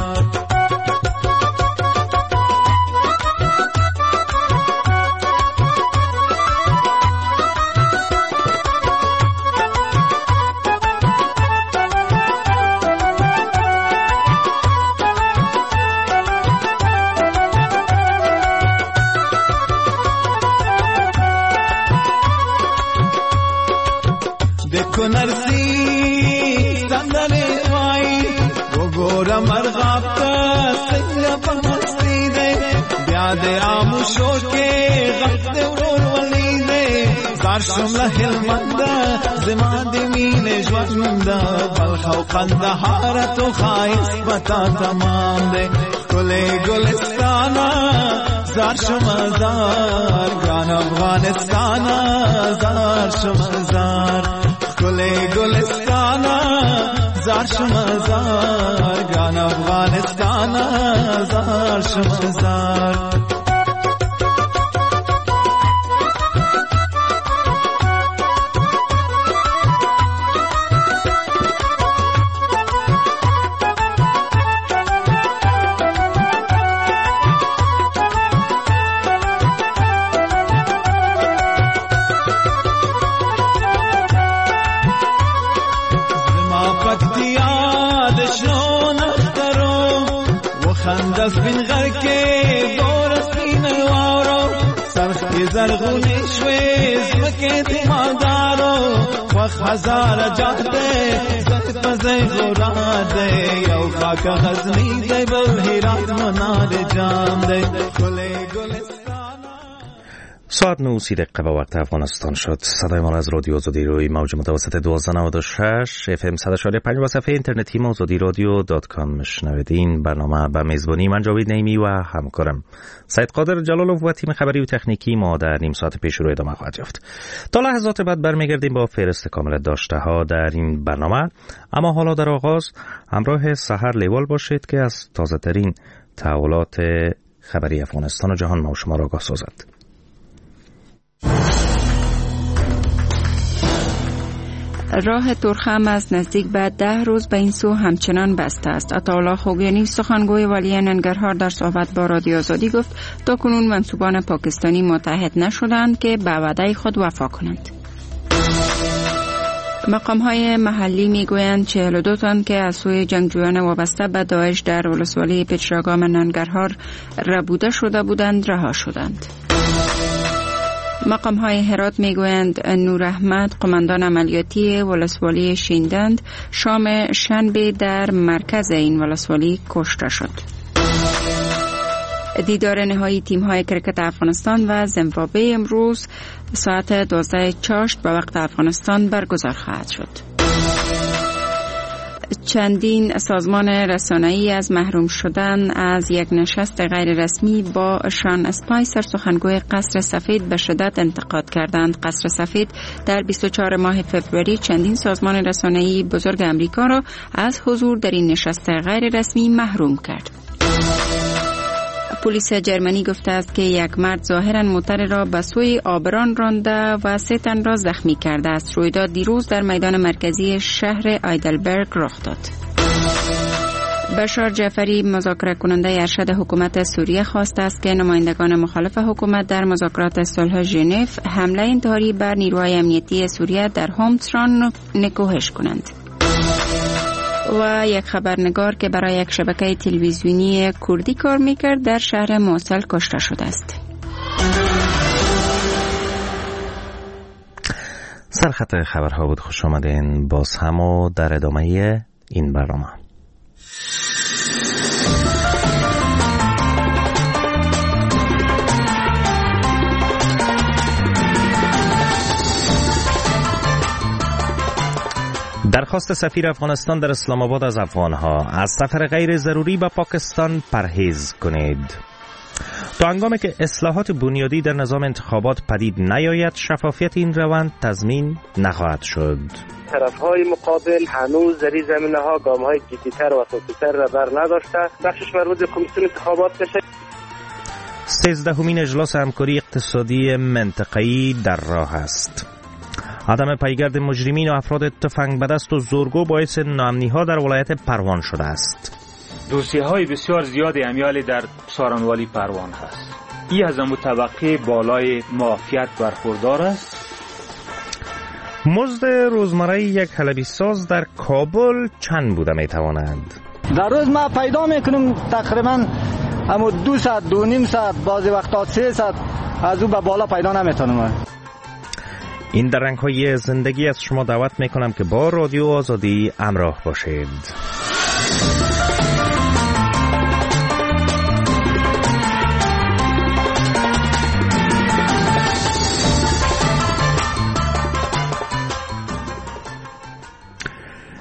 کنرسی سندره وای وګوره مرغاب ته څنګه په مستی دی، بیا د آمو شور کې غږ د ورور ولي دی. زار شم له هلمنده زما د مینې ژونده، بلخ او قندهار تو ښایست به تا تمام دی. ښکلی ګلستانه زار شم زار، ګران افغانستانه زار شم زار. ښکلی ګلستانه زار شم زار، ګران افغانستانه زار شم زار. سپین غر کې ګوره سپین واورو، سرخ کې زرغونې شوې ځمکې د مالدارو خوښ هزاره جات دی ځای په ځای غورات دی یو خاک غزني دی بل هرات منار جام دی ګلې ګلستان. ساعت نه و سی دقیقه به وقت افغانستان شد. صدای ما از رادیو آزادی روی موج متوسط دوازده نود و شش اف ام صد و پنج و صفحه اینترنتی آزادی رادیو dot com میشنوید. این برنامه به میزبانی من جاوید نعیمی و همکارم سید قادر جلالوف و تیم خبری و تکنیکی ما در نیم ساعت پیش رو ادامه خواهد یافت. تا لحظات بعد برمیگردیم با فهرست کامل داشته ها در این برنامه، اما حالا در آغاز همراه سحر لیوال باشید که از تازه ترین تحولات خبری افغانستان و جهان ما و شما را آگاه سازد. راه تورخم از نزدیک به ده روز به این سو همچنان بسته است. عطاالله خوگیانی سخنگوی والی ننگرهار در صحبت با رادیو آزادی گفت تا کنون منسوبان پاکستانی متعهد نشدند که به وعده خود وفا کنند. مقام های محلی میگویند چهل و دو تن که از سوی جنگجویان وابسته به داعش در ولسوالی پیچراگام ننگرهار ربوده شده بودند رها شدند. مقام های هرات میگویند نور احمد قماندان عملیاتی ولسوالی شیندند شام شنبه در مرکز این ولسوالی کشته شد. دیدار نهایی تیم های کرکت افغانستان و زیمبابوه امروز ساعت دوازده چاشت به وقت افغانستان برگزار خواهد شد. چندین سازمان رسانه‌ای از محروم شدن از یک نشست غیر رسمی با شان اسپایسر سخنگوی قصر سفید به شدت انتقاد کردند. قصر سفید در بیست و چهارم ماه فوریه چندین سازمان رسانه‌ای بزرگ امریکا را از حضور در این نشست غیر رسمی محروم کرد. پلیس جرمنی گفته است که یک مرد ظاهراً موتر را به سوی آبران رانده و سه تن را زخمی کرده است. رویداد دیروز در میدان مرکزی شهر آیدلبرگ رخ داد. بشار جعفری مذاکره کننده ارشد حکومت سوریه خواسته است که نمایندگان مخالف حکومت در مذاکرات صلح ژنو حمله انتحاری بر نیروهای امنیتی سوریه در حمص را نکوهش کنند. و یک خبرنگار که برای یک شبکه تلویزیونی کردی کار میکرد در شهر موصل کشته شده است. سرخط خبرها بود. خوش آمدین باز هم و در ادامه این برنامه. درخواست سفیر افغانستان در اسلام آباد از افغانها از سفر غیر ضروری به پاکستان پرهیز کنید. تا هنگامی که اصلاحات بنیادی در نظام انتخابات پدید نیاید، شفافیت این روند تضمین نخواهد شد. طرف‌های مقابل هنوز در این زمینه‌ها گام‌های جدی‌تر و اساسی‌تر را بر نداشته. بخشش مربوط به کمیسیون انتخابات بشه. سیزدهمین اجلاس همکاری اقتصادی منطقه‌ای در راه است. عدم پیگرد مجرمین و افراد تفنگ به دست و زورگو باعث ناامنی‌ها در ولایت پروان شده است. دوسیه‌های بسیار زیاد امیال در سارنوالی پروان هست. ای از طبقه بالای معافیت برخوردار است. مزد روزمره یک حلبی ساز در کابل چند بوده میتواند؟ در روز ما پیدا میکنم تقریبا همون دو ساعت، دو نیم ساعت، بعضی وقتا سه ساعت، از او به بالا پیدا نمیتونم. این در رنگ‌های زندگی از شما دعوت میکنم که با رادیو آزادی همراه باشید.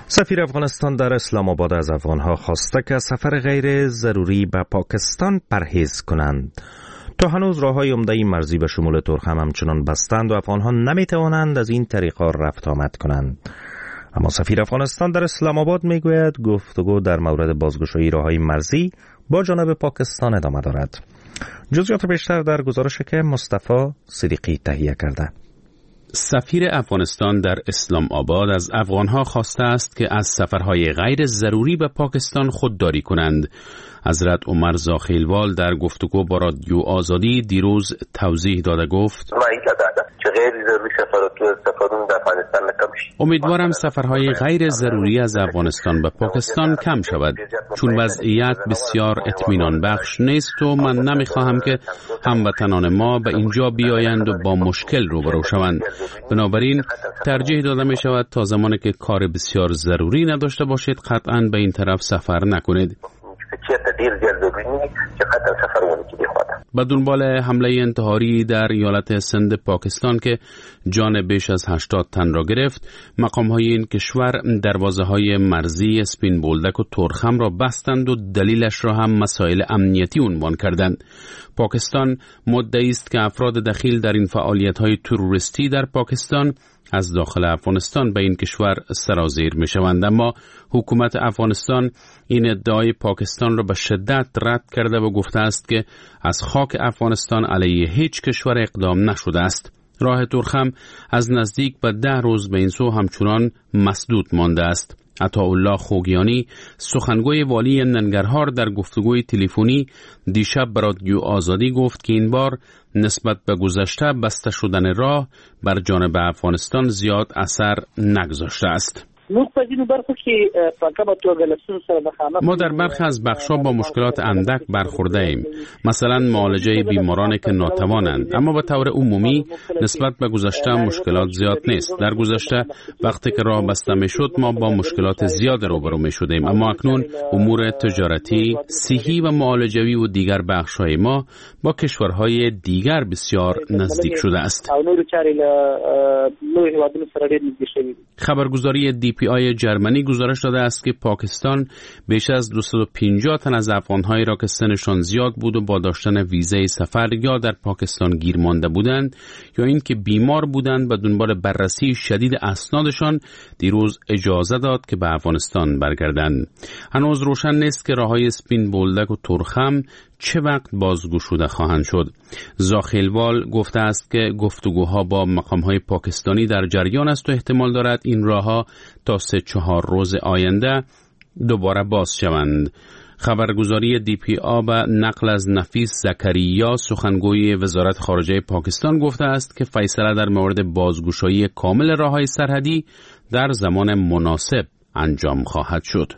سفیر افغانستان در اسلام آباد از افغانها خواسته که سفر غیر ضروری به پاکستان پرهیز کنند. تا هنوز راه‌های عمده مرزی به شمول ترخم همچنان بستند و افغانها نمیتوانند از این طریقا رفت آمد کنند. اما سفیر افغانستان در اسلام آباد میگوید گفتگو در مورد بازگشایی راه‌های مرزی با جانب پاکستان ادامه دارد. جزئیات بیشتر در گزارشی که مصطفی صدیقی تهیه کرده. سفیر افغانستان در اسلام آباد از افغانها خواسته است که از سفرهای غیر ضروری به پاکستان خودداری کنند. حضرت عمر زاخیلوال در گفتگو با رادیو آزادی دیروز توضیح داده گفت: چې غیر ضروري سفرونه د افغانستان نه کم شي. امیدوارم سفرهای غیر ضروری از افغانستان به پاکستان کم شود، چون وضعیت بسیار اطمینان بخش نیست و من نمیخواهم که هموطنان ما به اینجا بیایند و با مشکل روبرو شوند. بنابراین ترجیح داده می شود تا زمانی که کار بسیار ضروری نداشته باشید قطعاً به این طرف سفر نکنید. به دنبال حمله انتحاری در ایالت سند پاکستان که جان بیش از هشتاد تن را گرفت، مقام‌های این کشور دروازه‌های مرزی اسپین بولدک و تورخم را بستند و دلیلش را هم مسائل امنیتی عنوان کردند. پاکستان مدعی است که افراد دخیل در این فعالیت‌های تروریستی در پاکستان از داخل افغانستان به این کشور سرازیر می شوند، اما حکومت افغانستان این ادعای پاکستان را به شدت رد کرده و گفته است که از خاک افغانستان علیه هیچ کشور اقدام نشده است. راه تورخم از نزدیک به ده روز به این سو همچنان مسدود مانده است. عطاالله خوگیانی، سخنگوی والی ننگرهار، در گفتگوی تلفنی دیشب به رادیو آزادی گفت که این بار نسبت به گذشته بسته شدن راه بر جانب افغانستان زیاد اثر نگذاشته است. ما در برخی از بخش‌ها با مشکلات اندک برخورده ایم، مثلا معالجه بیماران که ناتوانند، اما به طور عمومی نسبت به گذشته مشکلات زیاد نیست. در گذشته وقتی که راه بسته میشد ما با مشکلات زیاد روبرو می شدیم، اما اکنون امور تجارتی، صحی و معالجوی و دیگر بخش‌های ما با کشورهای دیگر بسیار نزدیک شده است. خبرگزاری دی پی آی جرمنی گزارش داده است که پاکستان بیش از دویست و پنجاه تن از افغانهایی را که سنشان زیاد بود و با داشتن ویزای سفر یا در پاکستان گیر مانده بودند یا اینکه بیمار بودند به دنبال بررسی شدید اسنادشان دیروز اجازه داد که به افغانستان برگردند. هنوز روشن نیست که راه‌های اسپین بولدک و تورخم چه وقت بازگشوده خواهند شد. زاخیلوال گفته است که گفتگوها با مقام‌های پاکستانی در جریان است و احتمال دارد این راه‌ها تا سه چهار روز آینده دوباره باز شوند. خبرگزاری دی پی آ به نقل از نفیس زکریا، سخنگوی وزارت خارجه پاکستان، گفته است که فیصله در مورد بازگشایی کامل راه‌های سرحدی در زمان مناسب انجام خواهد شد.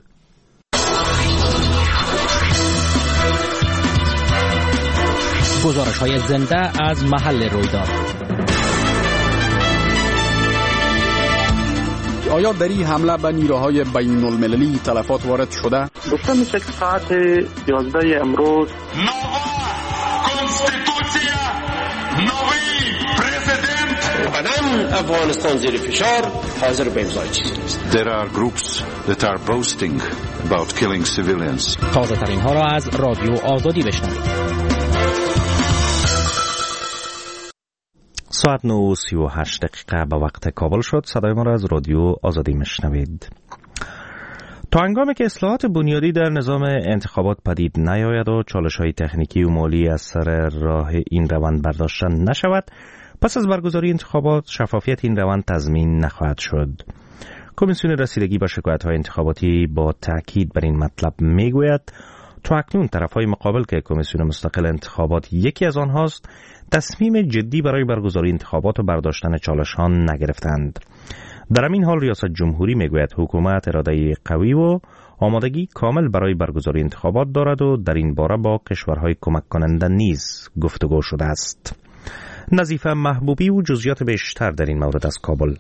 گزارش های زنده از محل رویداد. آیا در این حمله به نیروهای بین المللی تلفات وارد شده؟ گفته میشه که ساعت یازده امروز افغانستان زیر فشار حاضر به امضای چیزی نیست. There are groups that are boasting about killing civilians. تازه ترین ها را از رادیو آزادی بشنوید. ساعت نه و سی و هشت دقیقه به وقت کابل شد. صدای ما را از رادیو آزادی میشنوید. تا هنگامی که اصلاحات بنیادی در نظام انتخابات پدید نیاید و چالش‌های تکنیکی و مالی از سر راه این روند برداشته نشود، پس از برگزاری انتخابات شفافیت این روند تضمین نخواهد شد. کمیسیون رسیدگی به شکایت‌های انتخاباتی با تاکید بر این مطلب میگوید تا اکنون طرف‌های مقابل که کمیسیون مستقل انتخابات یکی از آنهاست، تصمیم جدی برای برگزاری انتخابات و برداشتن چالش‌ها نگرفتند. در همین حال ریاست جمهوری میگوید حکومت اراده قوی و آمادگی کامل برای برگزاری انتخابات دارد و در این باره با کشورهای کمک کننده نیز گفتگو شده است. نظیفه محبوبی و جزئیات بیشتر در این مورد از کابل.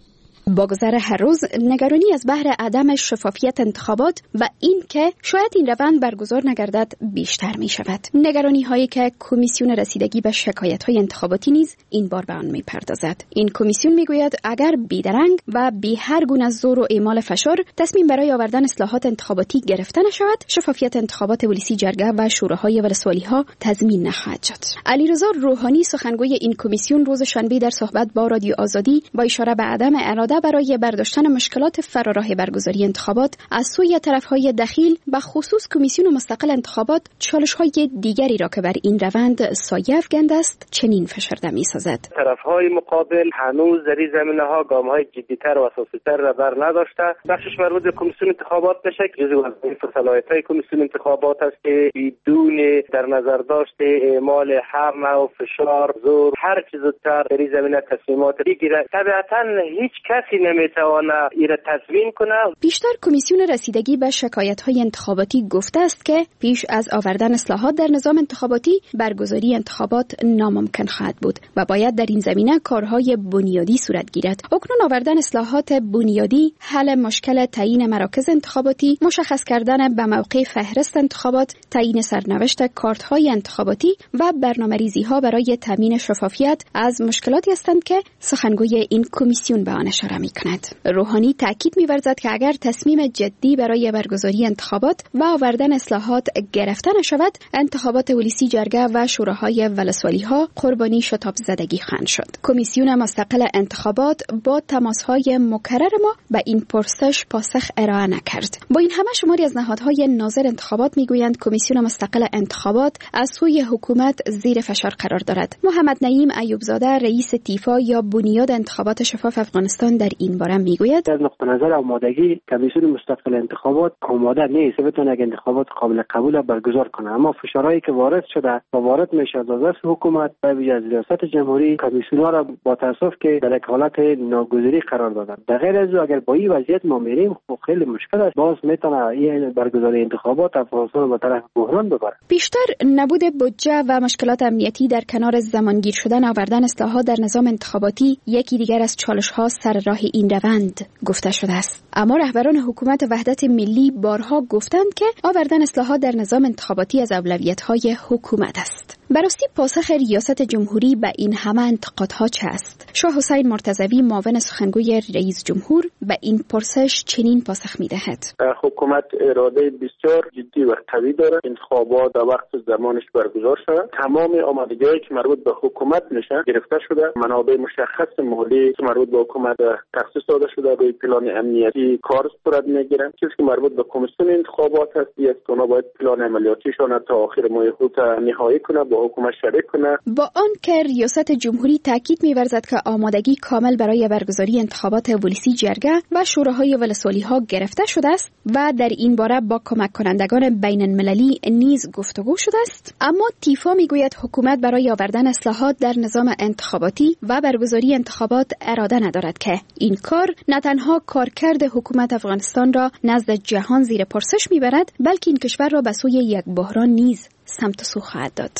با گذر هر روز نگرانی از بهر عدم شفافیت انتخابات و این که شاید این روند برگزار نگردد بیشتر می شود. نگرانی هایی که کمیسیون رسیدگی به شکایت های انتخاباتی نیز این بار به آن می پردازد. این کمیسیون می گوید اگر بیدرنگ و بی هر گونه زور و اعمال فشار تصمیم برای آوردن اصلاحات انتخاباتی گرفته نشود، شفافیت انتخابات ولسی جرگه و شوراهای ولسوالی ها تضمین نخواهد شد. علیرضا روحانی سخنگوی این کمیسیون روز شنبه در صحبت با رادیو آزادی با اشاره به عدم اراده اراده برای برداشتن مشکلات فراراه برگزاری انتخابات از سوی طرف‌های دخیل به خصوص کمیسیون مستقل انتخابات چالش‌های دیگری را که بر این روند سایه افکنده است چنین فشرده می‌سازد. طرف‌های مقابل هنوز در این زمینه‌ها گام‌های جدی‌تر و اساسی‌تر را بر نداشته. بخشش مربوط به کمیسیون انتخابات میشه که جزو وظایف و صلاحیت‌های کمیسیون انتخابات است که بدون در نظر داشت اعمال هر نوع فشار، زور، هر چیز زودتر در این زمینه تصمیمات بگیره. طبیعتاً هیچ کسی نمیتونه این را تضمین کنه. بیشتر کمیسیون رسیدگی به شکایت‌های انتخاباتی گفته است که پیش از آوردن اصلاحات در نظام انتخاباتی برگزاری انتخابات ناممکن خواهد بود و باید در این زمینه کارهای بنیادی صورت گیرد. اکنون آوردن اصلاحات بنیادی، حل مشکل تعیین مراکز انتخاباتی، مشخص کردن به موقع فهرست انتخابات، تعیین سرنوشت کارت‌های انتخاباتی و برنامه‌ریزی‌ها برای تامین شفافیت از مشکلاتی هستند که سخنگوی این کمیسیون به آن اشاره می‌کند. روحانی تاکید می‌ورزد که اگر تصمیم جدی برای برگزاری انتخابات و آوردن اصلاحات گرفته نشود، انتخابات ولسی جرگه و شوراهای ولسوالی‌ها قربانی شتاب زدگی خواهند شد. کمیسیون مستقل انتخابات با تماس‌های مکرر ما به این پرسش پاسخ ارائه نکرد. با این همه شماری از نهادهای ناظر انتخابات میگویند کمیسیون مستقل انتخابات از سوی حکومت زیر فشار قرار دارد. محمد نعیم ایوبزاده رئیس تیفا یا بنیاد انتخابات شفاف افغانستان در این باره میگوید: از نقطه نظر آمادگی کمیسیون مستقل انتخابات آماده نیست بتونه یک انتخابات قابل قبول برگزار کنه، اما فشارهایی که وارد شده و وارد میشه از دست حکومت و ویژه از ریاست جمهوری کمیسیون‌ها را با تاسف که در یک حالت ناگزیری قرار دادن. در غیر از او اگر با این وضعیت ما میریم خب خیلی مشکل است، باز میتونه این برگزاری انتخابات افغانستان به طرف بحران ببره. بیشتر نبود بودجه و مشکلات امنیتی در کنار زمانگیر شدن آوردن اصلاحات در نظام انتخاباتی یکی دیگر از چالش‌ها سر راه این روند گفته شده است. اما رهبران حکومت وحدت ملی بارها گفتند که آوردن اصلاحات در نظام انتخاباتی از اولویت‌های حکومت است. براستی پاسخ ریاست جمهوری به این همه انتقادها چه است؟ شاه حسین مرتضوی معاون سخنگوی رئیس جمهور به این پرسش چنین پاسخ می‌دهد: حکومت اراده بسیار جدی و قوی دارد انتخابات در وقت زمانش برگزار شود. تمام آمادگی‌هایی که مربوط به حکومت میشه گرفته شده، منابع مشخص مالی که مربوط به حکومت تخصیص داده شده، روی پلان امنیتی کار صورت میگیره. چیزی که مربوط به کمیسیون انتخابات است است که اونا باید پلان عملیاتیشون تا آخر ماه اوت نهایی کنه، با حکومت شریک کنه. با آنکه ریاست جمهوری تاکید می‌ورزد که آمادگی کامل برای برگزاری انتخابات ولسی جرگه و شوراهای ولسوالی‌ها گرفته شده است و در این باره با کمک کنندگان بین المللی نیز گفتگو شده است، اما تیفا میگوید حکومت برای آوردن اصلاحات در نظام انتخاباتی و برگزاری انتخابات اراده ندارد که این کار نه تنها کارکرد حکومت افغانستان را نزد جهان زیر پرسش میبرد، بلکه این کشور را به سوی یک بحران نیز سمت و سو خواهد داد.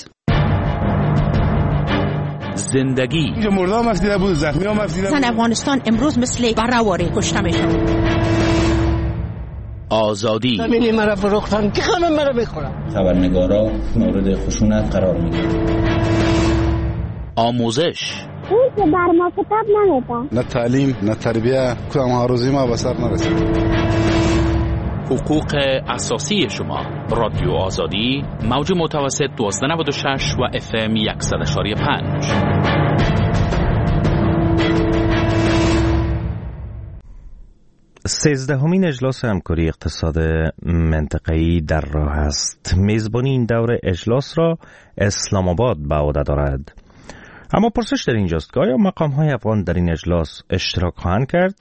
زندگی اینجا مرده هم افزیده بود، زخمی هم افزیده بود. زن افغانستان امروز مثل براواری کشته میشه. آزادی زمینی مرا فروختن که خانم مرا بخورم. خبرنگارا مورد خشونت قرار میگیرند. آموزش هیچ بر ما کتاب نمیدن، نه تعلیم نه تربیه، کدام آرزوی ما به سر نرسید. حقوق اساسی شما، رادیو آزادی، موج متوسط دوازده نود و شش و اف ام صد و یک پنج. سیزدهمین اجلاس همکاری اقتصاد منطقه‌ای در راه است. میزبانی این دور اجلاس را اسلام آباد به عهده دارد. اما پرسش در اینجاست که آیا مقام‌های افغان در این اجلاس اشتراک خواهند کرد؟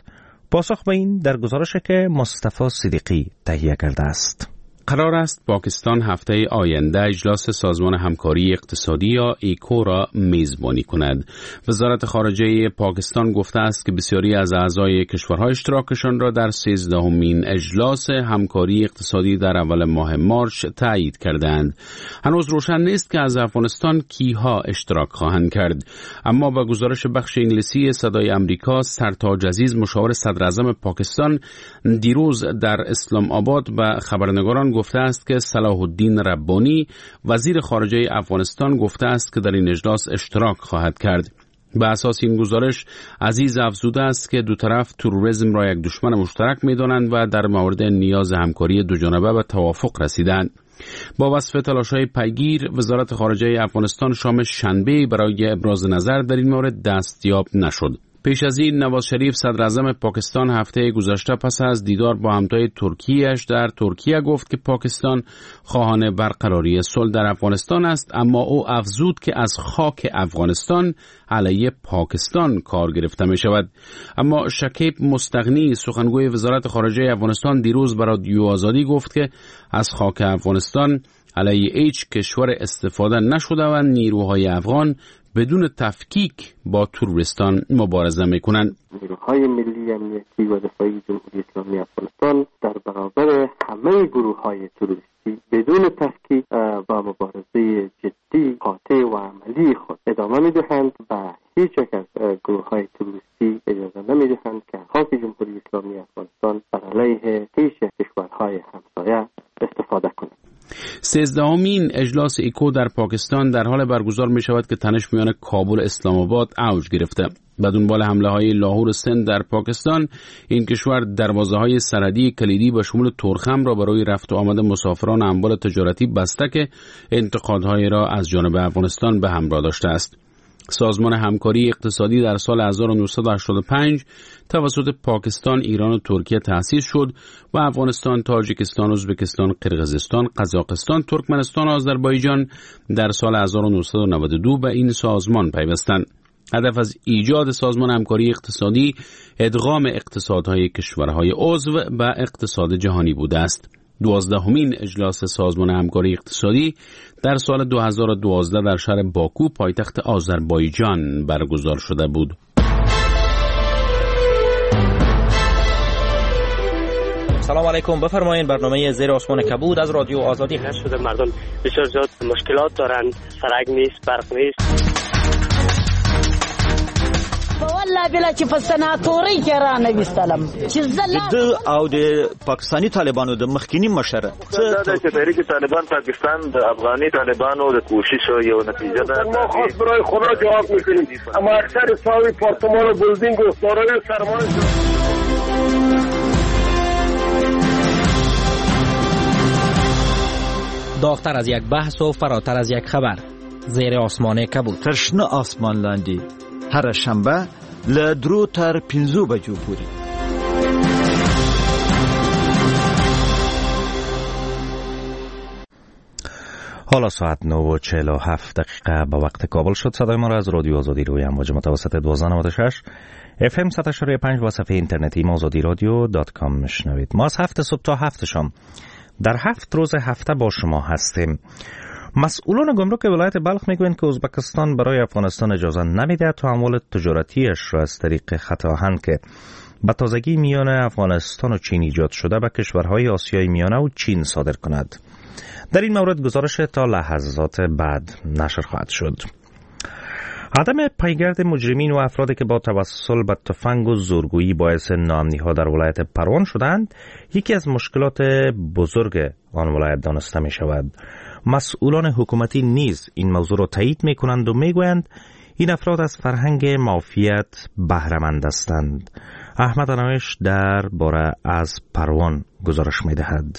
پاسخ به این در گزارش که مصطفی صدیقی تهیه کرده است. قرار است پاکستان هفته آینده اجلاس سازمان همکاری اقتصادی یا ایکو را میزبانی کند. وزارت خارجه پاکستان گفته است که بسیاری از اعضای کشورهای اشتراکشان را در سیزدهمین اجلاس همکاری اقتصادی در اول ماه مارچ تایید کردند. هنوز روشن نیست که از افغانستان کیها اشتراک خواهند کرد. اما با گزارش بخش انگلیسی صدای آمریکا، سرتاج عزیز مشاور صدر اعظم پاکستان دیروز در اسلام آباد به خبرنگاران گفته است که صلاح الدین ربانی وزیر خارجه افغانستان گفته است که در این اجلاس اشتراک خواهد کرد. به اساس این گزارش، عزیز افزوده است که دو طرف تروریسم را یک دشمن مشترک می‌دانند و در مورد نیاز همکاری دو جانبه به توافق رسیدند. با وصف تلاش‌های پیگیر، وزارت خارجه افغانستان شام شنبه برای ابراز نظر در این مورد دستیاب نشد. پیش از این نواز شریف صدر اعظم پاکستان هفته گذشته پس از دیدار با همتای ترکیه‌اش در ترکیه گفت که پاکستان خواهان برقراری صلح در افغانستان است، اما او افزود که از خاک افغانستان علیه پاکستان کار گرفته می شود. اما شکیب مستغنی سخنگوی وزارت خارجه افغانستان دیروز برای رادیو آزادی گفت که از خاک افغانستان علیه هیچ کشور استفاده نشده و نیروهای افغان بدون تفکیک با تروریستان مبارزه میکنند. نیروهای ملی امنیتی و دفاعی جمهوری اسلامی افغانستان در برابر همه گروه‌های تروریستی بدون تفکیک با مبارزه جدی، قاطع و عملی خود ادامه میدهند و هیچ یک از گروه‌های تروریستی اجازه نمیدهند که خاک جمهوری اسلامی افغانستان بر علیه هیچ کشورهای همسایه استفاده کنند. سیزدهمین اجلاس ایکو در پاکستان در حال برگزار می شود که تنش میان کابل و اسلام آباد اوج گرفته. به دنبال حمله های لاهور سند در پاکستان، این کشور دروازه های سرحدی کلیدی به شمول تورخم را برای رفت و آمد مسافران اموال تجارتی بسته که انتقادهای را از جانب افغانستان به همراه داشته است. سازمان همکاری اقتصادی در سال هزار و نهصد و هشتاد و پنج توسط پاکستان، ایران و ترکیه تأسیس شد و افغانستان، تاجیکستان، ازبکستان، قرقیزستان، قزاقستان، ترکمنستان و آذربایجان در سال هزار و نهصد و نود و دو به این سازمان پیوستند. هدف از ایجاد سازمان همکاری اقتصادی ادغام اقتصادهای کشورهای عضو به اقتصاد جهانی بوده است. دوازدهمین اجلاس سازمان همکاری اقتصادی در سال دو هزار و دوازده در شهر باکو پایتخت آذربایجان برگزار شده بود. سلام علیکم، بفرمایید برنامه زیر آسمان کبود از رادیو آزادی. شده مردم بسیار زیاد مشکلات دارند، سرک نیست، برق نیست. والله بلا چې په سناتوري کې را نه وستلم چې زه د او د پاکستاني طالبانو د مخکینی مشر چې تحریک طالبان پاکستان د افغاني طالبانو د کوشش یو نتیجه ده. ما خاص برای خدا جواب میکنیم، اما اکثر صاحب پارتمان و بلدینگ و دارای سرمایه. داغتر از یک بحث و فراتر از یک خبر، زیر آسمان کبود. تر شنه آسمان لاندې هره شنبه له درو تر پنځو بجو پورې. حالا ساعت نه و چهل و هفت دقیقه به وقت کابل شد. صدای ما را از رادیو آزادی روی امواج متوسط دوازده نود و شش اف ام صد و پنج و صفحه اینترنتی ما آزادی رادیو dot com میشنوید. ما از هفت صبح تا هفت شام در هفت روز هفته با شما هستیم. مسئولان گمرک ولایت بلخ میگویند که ازبکستان برای افغانستان اجازه نمیدهد تا اموال تجارتیش را از طریق خط آهن که به تازگی میان افغانستان و چین ایجاد شده به کشورهای آسیای میانه و چین صادر کند. در این مورد گزارش تا لحظات بعد نشر خواهد شد. عدم پیگرد مجرمین و افرادی که با توسل به تفنگ و زورگویی باعث ناامنی‌ها در ولایت پروان شدند، یکی از مشکلات بزرگ آن ولایت دانسته می شود. مسئولان حکومتی نیز این موضوع را تایید می کنند و می گویند این افراد از فرهنگ مافیت بهره‌مند هستند. احمد انوش در باره از پروان گزارش می دهد.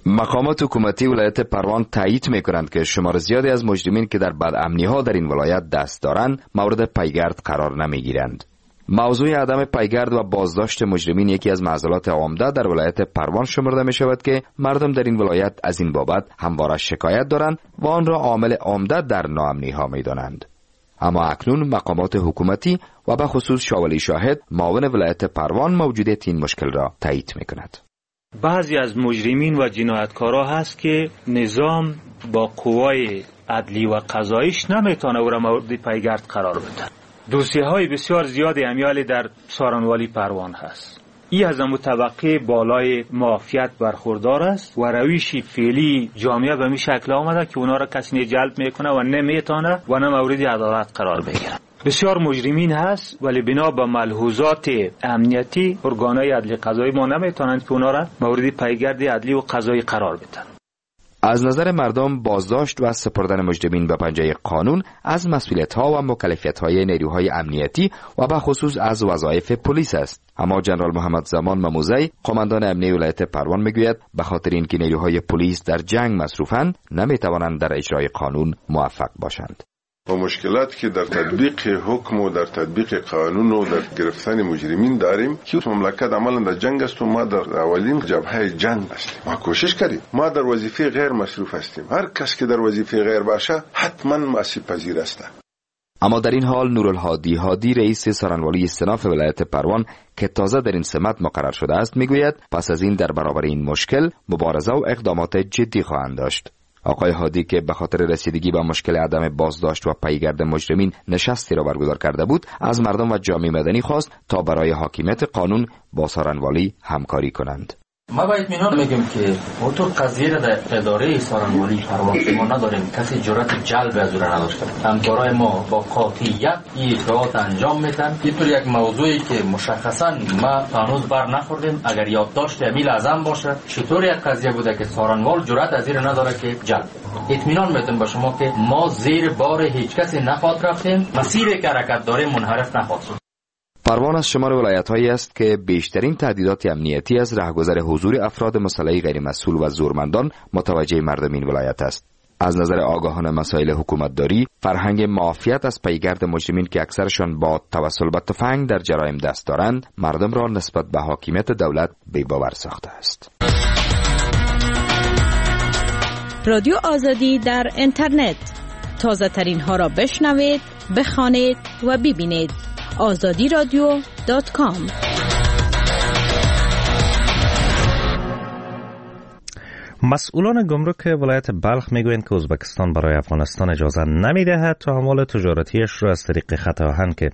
مقامات حکومتی ولایت پروان تایید میکنند که شمار زیادی از مجرمین که در بدامنی‌ها در این ولایت دست دارند مورد پیگرد قرار نمیگیرند. موضوع عدم پیگرد و بازداشت مجرمین یکی از معضلات عمده در ولایت پروان شمرده می شود که مردم در این ولایت از این بابت همواره شکایت دارند و آن را عامل عمده در ناامنی‌ها می دانند. اما اکنون مقامات حکومتی و به خصوص شاولی شاهد معاون ولایت پروان موجودیت این مشکل را تایید می کند. بعضی از مجرمین و جنایتکارا هست که نظام با قوای عدلی و قضاییش نمیتونه او را مورد پیگرد قرار بده. دوسیه های بسیار زیادی امیال در سارنوالی پروان هست. ای از امو طبقه بالای معافیت برخوردار است و رویش فعلی جامعه به می شکل آمده که اونا را کسی نه جلب میکنه و نمیتونه و نه مورد عدالت قرار بگیره. بسیار مجرمین هست ولی بنا به ملحوظات امنیتی ارگانهای عدلی قضایی ما نمیتونند که اونا را مورد پیگرد عدلی و قضایی قرار بدن. از نظر مردم بازداشت و سپردن مجرمین به پنجه قانون از مسئولیت‌ها و مکلفیت‌های نیروهای امنیتی و به خصوص از وظایف پلیس است. اما جنرال محمد زمان مموزی قماندان امنیتی ولایت پروان میگوید به خاطر اینکه نیروهای پلیس در جنگ مصروفند نمیتوانند در اجرای قانون موفق باشند. و مشکلات که در تطبیق حکم و در تطبیق قانون و در گرفتن مجرمین داریم که مملکت عملا در جنگ است و ما در اولین جبهه جنگ هستیم. ما کوشش کردیم، ما در وظیفه غیر مصروف هستیم. هر کس که در وظیفه غیر باشه حتما آسیب پذیر است. اما در این حال نورالهادی هادی رئیس سارنوالی استناف ولایت پروان که تازه در این سمت مقرر شده است میگوید پس از این در برابر این مشکل مبارزه و اقدامات جدی خواهند داشت. آقای هادی که به خاطر رسیدگی به مشکل عدم بازداشت و پیگرد مجرمین نشستی را برگزار کرده بود، از مردم و جامعه مدنی خواست تا برای حاکمیت قانون با سارنوالی همکاری کنند. ما با اطمینان میگیم که اونطور قضیه را در اداره سارنوالی پروان ما نداریم، کسی جرأت جلب از او را نداشته. همکارای ما با قاطعیت این اجراآت انجام میدن. اینطور یک موضوعی که مشخصا ما هنوز بر نخوردیم، اگر یادداشت امیل اعظم باشه چطور یک قضیه بوده که سارنوال جرأت از این نداره که جلب. اطمینان میدم به شما که ما زیر بار هیچ کسی نخواد رفتیم، مسیری که حرکت داریم منحرف نخواد شد. پروان از شمار ولایت‌هایی است که بیشترین تهدیدات امنیتی از رهگذر حضور افراد مسلح غیر مسئول و زورمندان متوجه مردم این ولایت است. از نظر آگاهان مسائل حکومتداری، فرهنگ معافیت از پیگرد مجرمین که اکثرشان با توسل به تفنگ در جرایم دست دارند، مردم را نسبت به حاکمیت دولت بی‌باور ساخته است. رادیو آزادی در اینترنت، تازه ترین ها را بشنوید، بخوانید و ببینید. آزادی رادیو دات کام. مسئولان گمرک ولایت بلخ میگویند که ازبکستان برای افغانستان اجازه نمیدهد تا اموال تجارتیش را از طریق خط آهن که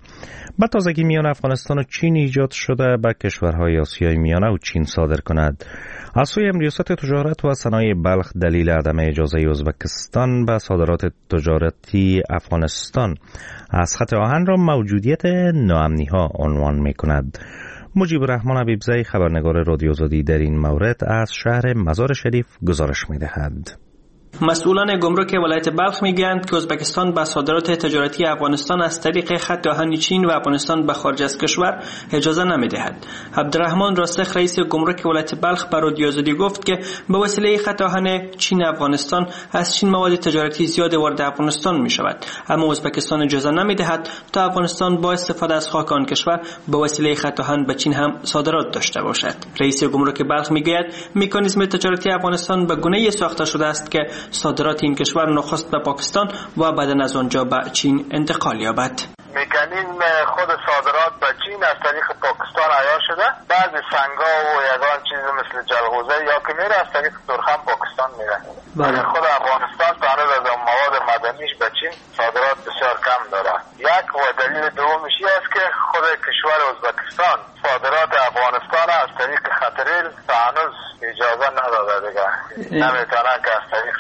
به تازگی میان افغانستان و چین ایجاد شده به کشورهای آسیای میانه و چین صادر کند. از سوی ریاست تجارت و صنایع بلخ دلیل عدم اجازه ازبکستان به صادرات تجارتی افغانستان از خط آهن را موجودیت ناامنی ها عنوان میکند. مجیب الرحمن حبیبزی خبرنگار رادیو آزادی در این مورد از شهر مزار شریف گزارش می‌دهد. مسئولان گمرک ولایت بلخ میگویند که ازبکستان به صادرات تجارتی افغانستان از طریق خط آهن چین و افغانستان به خارج از کشور اجازه نمیدهد. عبدالرحمن راسخ رئیس گمرک ولایت بلخ به رادیو آزادی گفت که به وسیله خط آهن چین افغانستان از چین مواد تجارتی زیاد وارد افغانستان می شود، اما ازبکستان اجازه نمیدهد تا افغانستان با استفاده از خاک آن کشور به وسیله خط آهن به چین هم صادرات داشته باشد. رئیس گمرک بلخ میگوید مکانیزم تجارتی افغانستان به گونه‌ای ساخته شده است که صادرات این کشور نخست به پاکستان و بعد از آنجا به چین انتقال یابد. مکانیزم خود صادرات به چین از طریق پاکستان عیار شده، بعضی سنگا و یگان چیز مثل جلغوزه یا که میره از طریق ترخم پاکستان میره. بله. خود افغانستان تا هنوز از مواد مدنیش به چین صادرات بسیار کم داره. یک و دلیل دومش این است که خود کشور ازبکستان صادرات افغانستان از طریق خط ریل تا هنوز اجازه نداده دیگه. نمیتونه که از طریق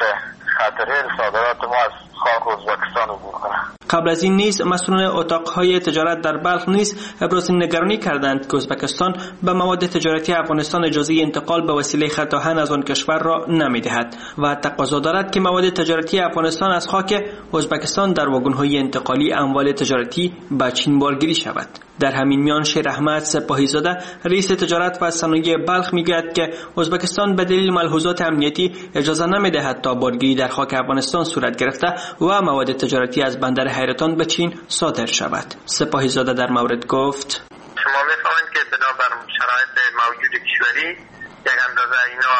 خط ریل صادرات ما از خاک ازبکستان عبور کنه. قبل از این نیز مسئولان اتاقهای تجارت در بلخ نیز ابراز نگرانی کردند که ازبکستان به مواد تجارتی افغانستان اجازه انتقال به وسیله خط آهن از آن کشور را نمیدهد و تقاضا دارد که مواد تجارتی افغانستان از خاک ازبکستان در واگن‌های انتقالی اموال تجارتی به چین بارگیری شود. در همین میان شیر احمد سپاهی زاده رئیس تجارت و صنایع بلخ میگوید که ازبکستان به دلیل ملحوظات امنیتی اجازه نمیدهد تا بارگیری در خاک افغانستان صورت گرفته و مواد تجارتی از بندر حیرتان به چین صادر شود. سپاهی زاده در مورد گفت: شما میفهمید که بنابر شرایط موجود کشوری یک اندازه اینا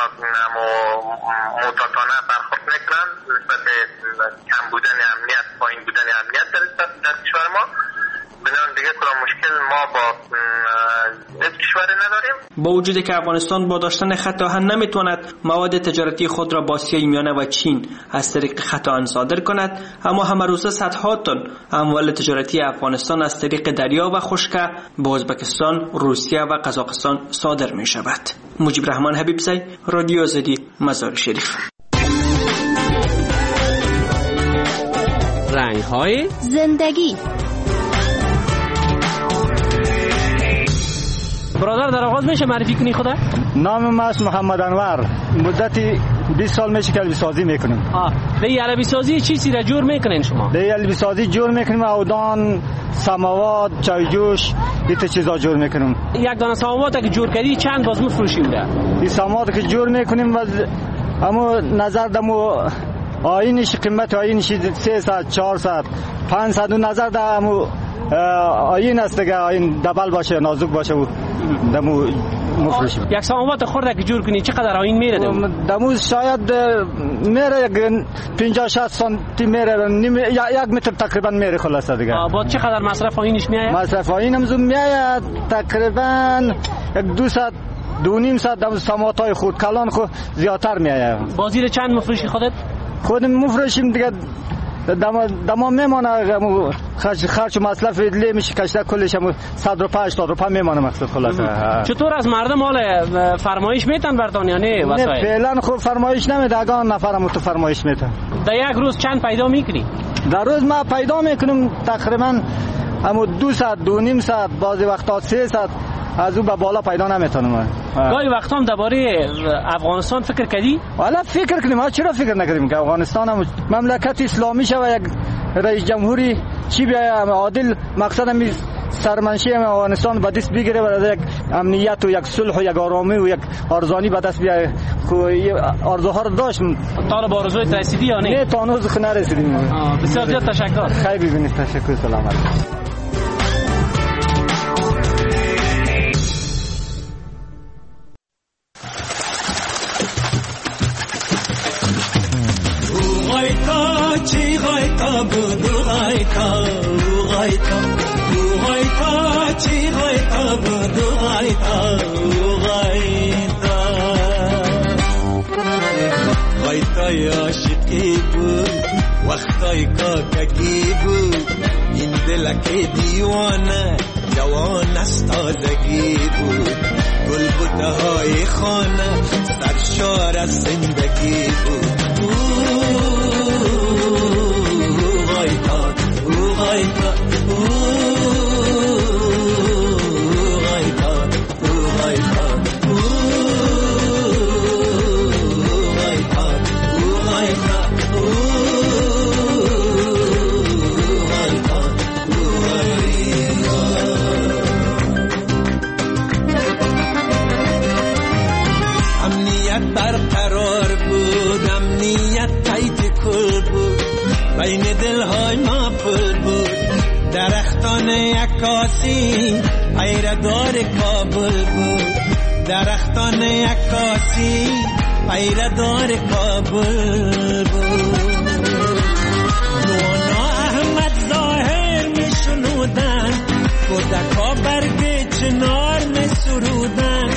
معتادانه برخورد میکنن نسبت کم بودن امنیت، پایین بودن امنیت در, در کشور ما. بنابراین دیگه کدام مشکل ما با هیچ کشوری نداریم. با وجود که افغانستان با داشتن خط آهن نمیتواند مواد تجارتی خود را با آسیای میانه و چین از طریق خط آهن صادر کند، اما همه روزه صدها تن اموال تجارتی افغانستان از طریق دریا و خشکه به ازبکستان، روسیه و قزاقستان صادر می شود. مجیب رحمان حبیبزی، رادیو آزادی، مزار شریف. رنگ‌های زندگی. برادر در آغاز میشه معرفی کنی خدا؟ نام ما است محمد انور. مدتی بیست سال میشه که علبی سازی میکنیم. آه، در علبی سازی چی چیزی را جور میکنین شما؟ در علبی سازی جور میکنیم اودان، سماوات، چای جوش، این چیزا جور میکنیم. یک دانه سماوات که جور کردی چند باز میفروشیم ده؟ این سماوات که جور میکنیم و اما نظر دمو آینش قیمت آینش سه ساعت چهار ساعت پانصد نظر در آیین است دیگه، آیین دبل باشه نازک باشه و دمو مفروشیم. یک ساموات خورده که جور کنی چقدر آیین میره؟ دمو شاید میره یک پنجاه شصت سانتی میره، یک متر تقریبا میره خلاصه دیگه. با چقدر مصرف آیینش میاد؟ مصرف آیین هم زوم میاد تقریبا یک دو ساعت دو نیم ساعت. دم ساموات های خود کلان خود زیادتر میاد. بازی چند مفروشی خودت؟ خودم مفروشیم دیگه، دما دما میمانه خرج خرج و مصرف لی میشه کشته کلش هم صد روپیه هشتاد روپیه میمانه مقصد خلاصه. چطور از مردم حال فرمایش میتن برتان یا نه؟ نه فعلا خب فرمایش نمیده، اگه نفرم تو فرمایش میتن. در یک روز چند پیدا میکنی؟ در روز ما پیدا میکنم تقریبا همو دو ساعت دو نیم ساعت، بعضی وقتا سه ساعت، از او به بالا پیدا نمیتونم. گاهی وقتا هم درباره افغانستان فکر کردی؟ والا فکر کنیم، ما چرا فکر نکردیم که افغانستان هم مملکت اسلامی شه و یک رئیس جمهوری چی بیاید عادل، مقصد هم سرمنشی هم افغانستان به دست بگیره و یک امنیت و یک صلح و یک آرامی و یک ارزانی به دست بیاید. خو آرزوها رو داشتم. تا به آرزویت رسیدی یا نه؟ نه تا هنوز نرسیدیم. بسیار زیاد تشکر. خیر ببینید، تشکر، سلامت. وقتای کاکگی بود این دلک دیوانه، جوان از تازگی بود، گل بوته های خانه سرشار از زندگی بود. او غایتا او غایتا او غایتا او غایتا او غایتا او غایتا او برقرار بود، امنیت تایید کل بود، بین دلهای ما پل بود، درختان عکاسی پیردار کابل بود، درختان عکاسی پیردار کابل بود. جوانا احمد ظاهر می شنودن، کودکا برگ چنار می سرودن،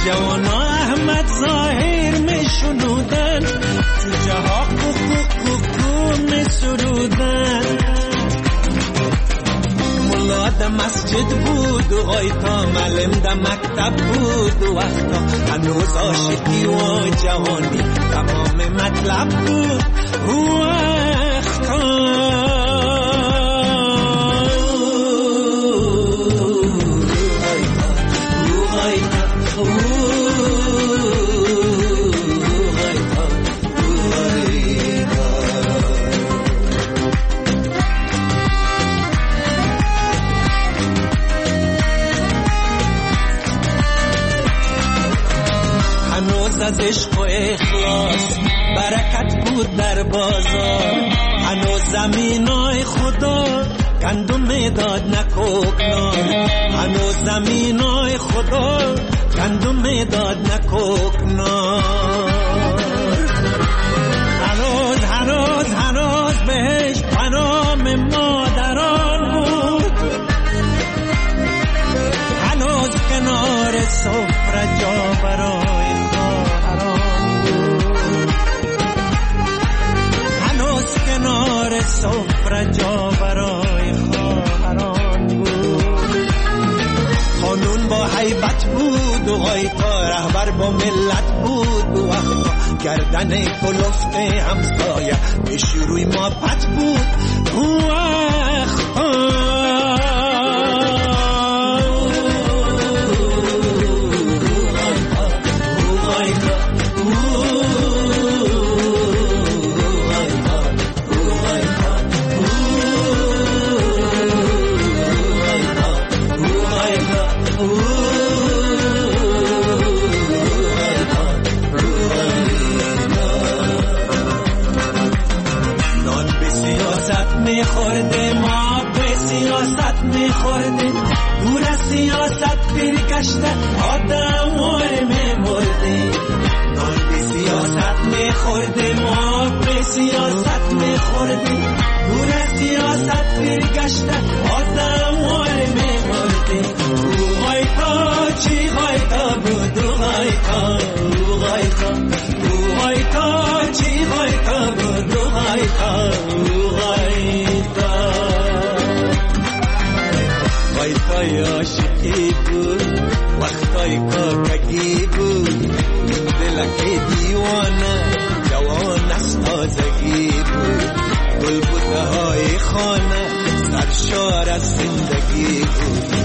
جوانا احمد ظاهر می شنودن، جوجه ها کوکو کوکو می سرودن. ملا در مسجد بود و غایتا معلم در مکتب بود و وقتا هنوز عاشقی و جوانی تمام مطلب بود. وقتا از عشق و اخلاص برکت بود در بازار، هنوز زمینای خدا گندم میداد نه کوکنار، هنوز زمینای خدا گندم میداد نه کوکنار. هنوز هنوز هنوز بهش پنام مادران بود، هنوز کنار سفره جا برای خواهران بود، هنوز کنار سفره جا برای خواهران بود. قانون با هیبت بود و غایتا رهبر با ملت بود و وقتا گردن کلفت همسایه پیش روی ما پت بود. وقتا میخوردیم، ما به سیاست میخوردیم، دور از سیاست پیر گشته آدم وار میمردیم. نان به سیاست میخوردیم، ما به سیاست میخوردیم، دور از سیاست پیر گشته آدم وار میمردیم. او غایتا چی غایتا بود، او غایتا، او غایتا، او غایتا چی غایتا بود، او غایتا، او غایتا. غایتای عاشقی بود، وقتای کاکگی بود، دلک دیوانه جوان از تازگی بود، گل بوته های خانه سرشار از زندگی بود.